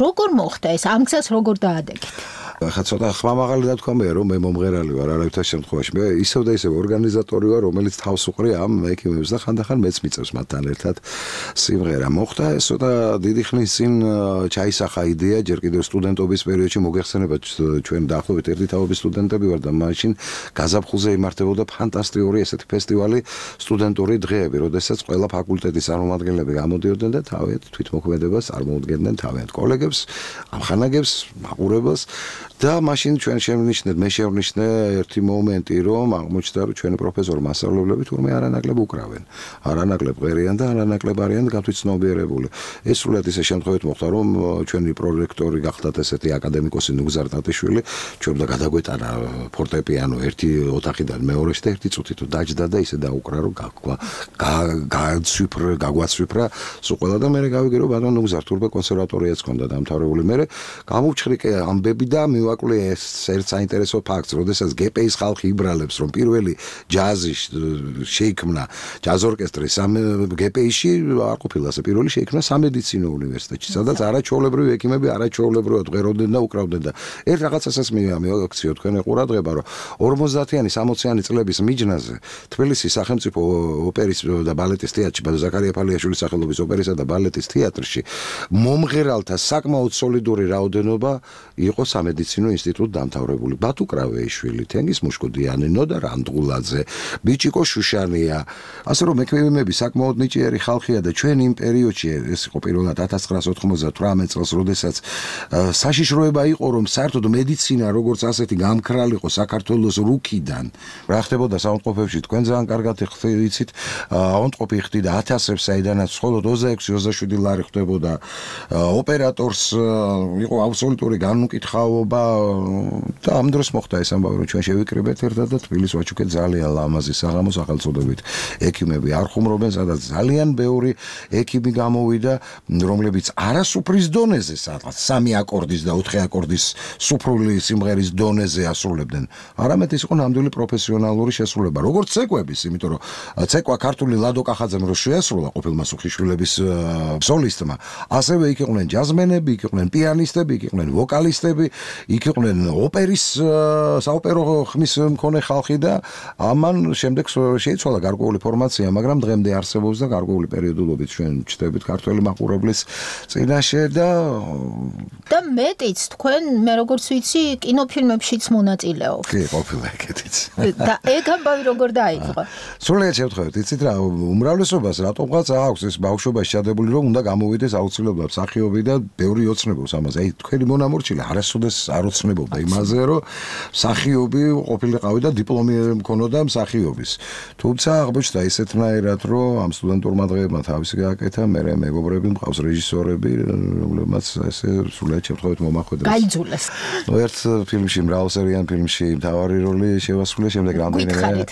როგორ მოხდა ეს ამ გზას როგორ დაადეგეთ ხა ცოტა ხმამაღალი დათქვა მე რომ მე მომღერალი ვარ არავითარ შემთხვევაში მე ისევ და ისევ ორგანიზატორი ვარ რომელიც თავს უყრი ამ ექიმებს და ხანდახან მეც მიწევს მათთან ერთად სიმღერა მოხდა ეს ცოტა დიდი ხნის წინ ჩაისახა იდეა ჯერ კიდევ სტუდენტობის პერიოდში მოგეხსენებათ ჩვენ დაახლოებით ერთი თაობის სტუდენტები ვარ და მაშინ გაზაფხულზე იმართებოდა ფანტასტიკური ესეთი ფესტივალი სტუდენტური დღეები როდესაც ყველა ფაკულტეტის წარმომადგენლები გამოდიოდნენ და თავიანთ თვითმოქმედებას წარმოუდგენდნენ თავიანთ კოლეგებს ამხანაგებს მაყურებელს და მაშინ ჩვენ მე შევნიშნე ერთი მომენტი, რომ აღმოჩნდა, რომ ჩვენი პროფესორი მასწავლებლები თურმე არანაკლებ უკრავენ. არანაკლებ ყვერიან და არანაკლებ არიან გათვითცნობიერებული. ეს სულად ისე შემთხვევით მოხდა, რომ ჩვენი პრორექტორი გახდათ ესეთი აკადემიკოსი ნუგზარ ტატიშვილი, ჩვენ და გადაგვეტანა ფორტეპიანო ერთი ოთახიდან მეორეში და ერთი წუთით დაჯდა და ისე დაუკრა, რომ გაგვაცვიფრა სულ ყველა და მე გავიგე, რომ ბატონო ნუგზარ თურმე კონსერვატორიაც ჰქონდა დამთავრებული. მე გამოვჩხრიკე ამბები და მივაკლე ეს ერთ საინტერესო ფაქტს, როდესაც გპ-ის ხალხი იბრალებს, რომ პირველი ჯაზი შეიქმნა ჯაზ ორკესტრი გპ-ში არ ყოფილა ასე პირველი შეიქმნა სამედიცინო უნივერსიტეტში, სადაც არაჩვეულებრივი ექიმები არაჩვეულებრივად ღვეროდნენ და უკრავდნენ და ერთ რაღაცასაც მივაქციო თქვენ ყურადღება, რომ 50-იანი 60-იანი წლების მიჯნაზე თბილისის სახელმწიფო ოპერის და ბალეტის თეატრში, ზაქარია ფალიაშვილის სახელობის ოპერისა და ბალეტის თეატრში მომღერალთა საკმაოდ სოლიდური რაოდენობა იყო სამედიცინო ინსტიტუტ დამთავრებული. ბათუ კრავეიშვილი, თენგიზ მუშკუდიანი, ნოდა რანდღულაძე, ბიჭიკო შუშანია. ასე რომ ექვემები საკმაოდ ნიჭიერი ხალხია და ჩვენ იმ პერიოდში ეს იყო პირველად 1998 წელს, როდესაც საშიშროება იყო, რომ საერთოდ მედიცინა როგორც ასეთი გამქრალიყო საქართველოს რუქიდან. რა ხდებოდა საავადმყოფოებში, თქვენ ძალიან კარგად იცით, ავადმყოფი ხდიდა 1000-ებს, საიდანაც მხოლოდ 26-27 ლარი ხდებოდა. ოპერატორს იყო აბსოლუტური განუკითხაობა და ამ დროს მოხდა ეს ამბავი, რომ ჩვენ შევიკრიბეთ ერთად და თბილისს ვაჩუქეთ ძალიან ლამაზი საღამო სახელწოდებით. ექიმები არ ხუმრობენ, სადაც ძალიან ბევრი ექიმი გამოვიდა, რომლებიც არასუფრის დონეზე, სადღაც 3 აკორდის და 4 აკორდის სუფრული სიმღერის დონეზე ასრულებდნენ. არამედ ის იყო ნამდვილი პროფესიონალური შესრულება, როგორც ცეკვების, იმიტომ რომ ცეკვა ქართული ლადო კახაძემ რო შეასრულა ყოფილმა სუხიშვილების სოლისტმა, ასევე იქ იყვნენ ჯაზმენები, იქ იყვნენ პიანისტები, იქ იყვნენ ვოკალისტები, იქ იყვნენ ოპერის საოპერო ხმის მქონე ხალხი და ამან შემდეგ შეიცვალა გარკვეული ფორმაცია, მაგრამ დღემდე არსებობს და გარკვეული პერიოდულობით ჩვენ ჩდებით ქართველი მაყურებლის წინაშე და მეტიც თქვენ მე როგორც ვიცი კინოფილმებშიც მონაწილეობთ. კი, ყოფილა ეგეთიც. და ეგ ამბავი როგორ დაიწყო? სრულიად შევთხოვეთ, იცით რა, უმრავლესობას რატომღაც აქვს ეს ბავშვობაში ჩადებული, რომ უნდა გამოვიდეს აუცილებლად მსახიობი და ბევრი ოცნებობს ამაზე. აი თქვენი მონამორჩილი არასოდეს არ ოცნებობდა იმაზე, რომ მსახიობი ყოფილიყავი და დიპლომი მქონოდა მსახიობის. თუმცა აღმოჩნდა ისეთნაირად, რომ ამ სტუდენტურმა დღეებმა თავისი გააკეთა, მე მეგობრები მყავს რეჟისორები, რომლებმაც ესე სრულიად შევთხოვეთ მომახვედრეს. გაიძულეს. ერთ ფილმში, მრავალსერიან ფილმში მთავარი როლი შევასრულე, შემდეგ რამდენიმე.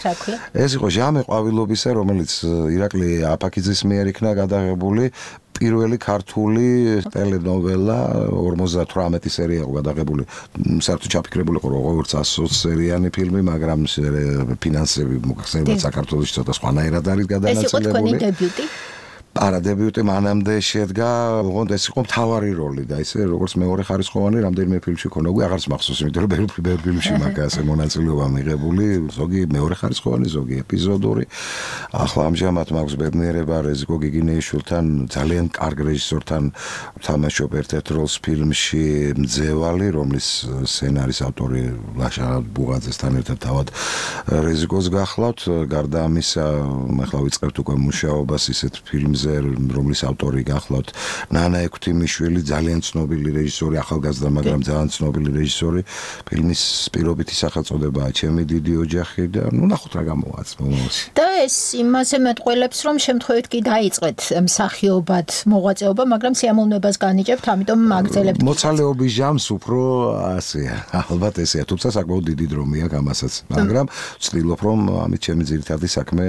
ეს იყო ჟამე ყვავილობისა, რომელიც ირაკლი აფაქიძის მიერ იქნა გადაღებული. პირველი ქართული ტელენოველა 58 სერია იყო გადაღებული. საერთოდ ჩაფიქრებული იყო როგორც 120 სერიანი ფილმი, მაგრამ ფინანსები მოხსენებად საქართველოს ცოტა სხვანაირად არის გადანაწილებული. ეს იყო თქვენი დებიუტი? არა, დებიუტი მანამდე შედგა, ოღონდ ეს იყო მთავარი როლი და ისე როგორც მეორე ხარისხოვანი რამდენიმე ფილმში ქონა, უკვე აღარც მახსოვს, იმიტომ რომ ბევრი ფილმში მაგა ასე მონაწილეობა მიღებული, ზოგი მეორე ხარისხოვანი, ზოგი ეპიზოდური. ახლა ამჟამად მაქვს ბედნიერება რეზიკო გიგინეიშვილთან, ძალიან კარგ რეჟისორთან თამაშობ ერთ-ერთ როლს ფილმში მძევალი, რომლის სცენარის ავტორი ლაშა ბუღაძესთან ერთად თავად რეზიკოს გახლავთ. გარდა ამისა, ახლა ვიწყებთ უკვე მუშაობას ისეთ ფილმზე, რომლის ავტორი გახლავთ ნანა ექვთიმიშვილი, ძალიან ცნობილი რეჟისორი, ახალგაზრდა, მაგრამ ძალიან ცნობილი რეჟისორი. ფილმის პირობითი სახელწოდებაა ჩემი დიდი ოჯახი და ნახოთ რა გამოვაց მომავალში. და ეს იმაზე მეტყველებს, რომ შემთხვევით კი დაიწყეთ მსახიობად მოღვაწეობა, მაგრამ სიამოვნებას განიჭებთ, ამიტომ მაგძელებთ. მოცალეობის ჟამს უფრო ასეა, ალბათ ესეა, თუმცა საკმაოდ დიდი დრო მიაქვს ამასაც, მაგრამ ვცდილობ, რომ ამით ჩემი ძირითადი საქმე,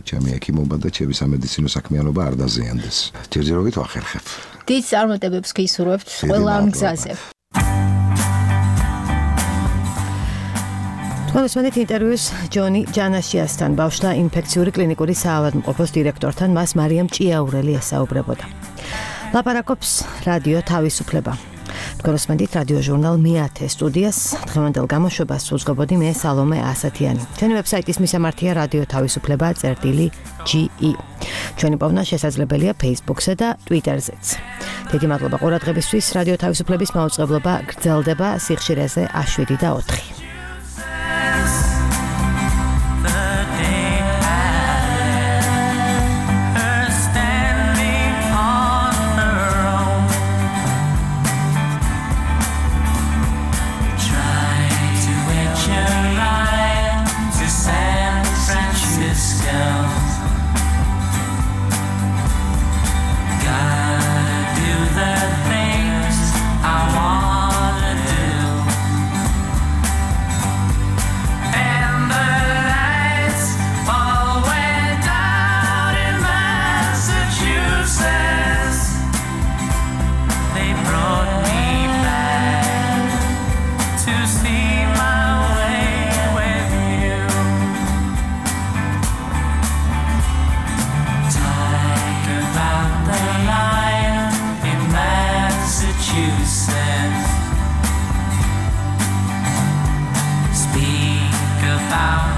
ჩემი ექიმობა და ჩემი სამედიცინო საქმიანობა არ დაზიანდეს. ჯერჯერობით ვახერხებ. დიდ წარმატებებს გისურვებთ ყველა ამ გზაზე. მოსმენით ინტერვიუს ჯონი ჯანაშიასთან, ბავშვთა ინფექციური კლინიკური საავადმყოფოს დირექტორთან, მას მარიამ ჭიაურელი ესაუბრებოდა. ლაპარაკობს რადიო თავისუფლება. თქვენ მოსმენით რადიო ჟურნალ მე-10 სტუდიას, დღევანდელ გამოშვებას უძღვებოდი მე სალომე ასათიანი. ჩვენი ვებსაიტის მისამართია რადიო თავისუფლება.ge. ჩვენი პოვნა შესაძლებელია Facebook-სა და Twitter-ზეც. დიდი მადლობა ყურადღებისთვის. რადიო თავისუფლების მაუწყებლობა გრძელდება სიხშირეზე A7 და 4. Try bound.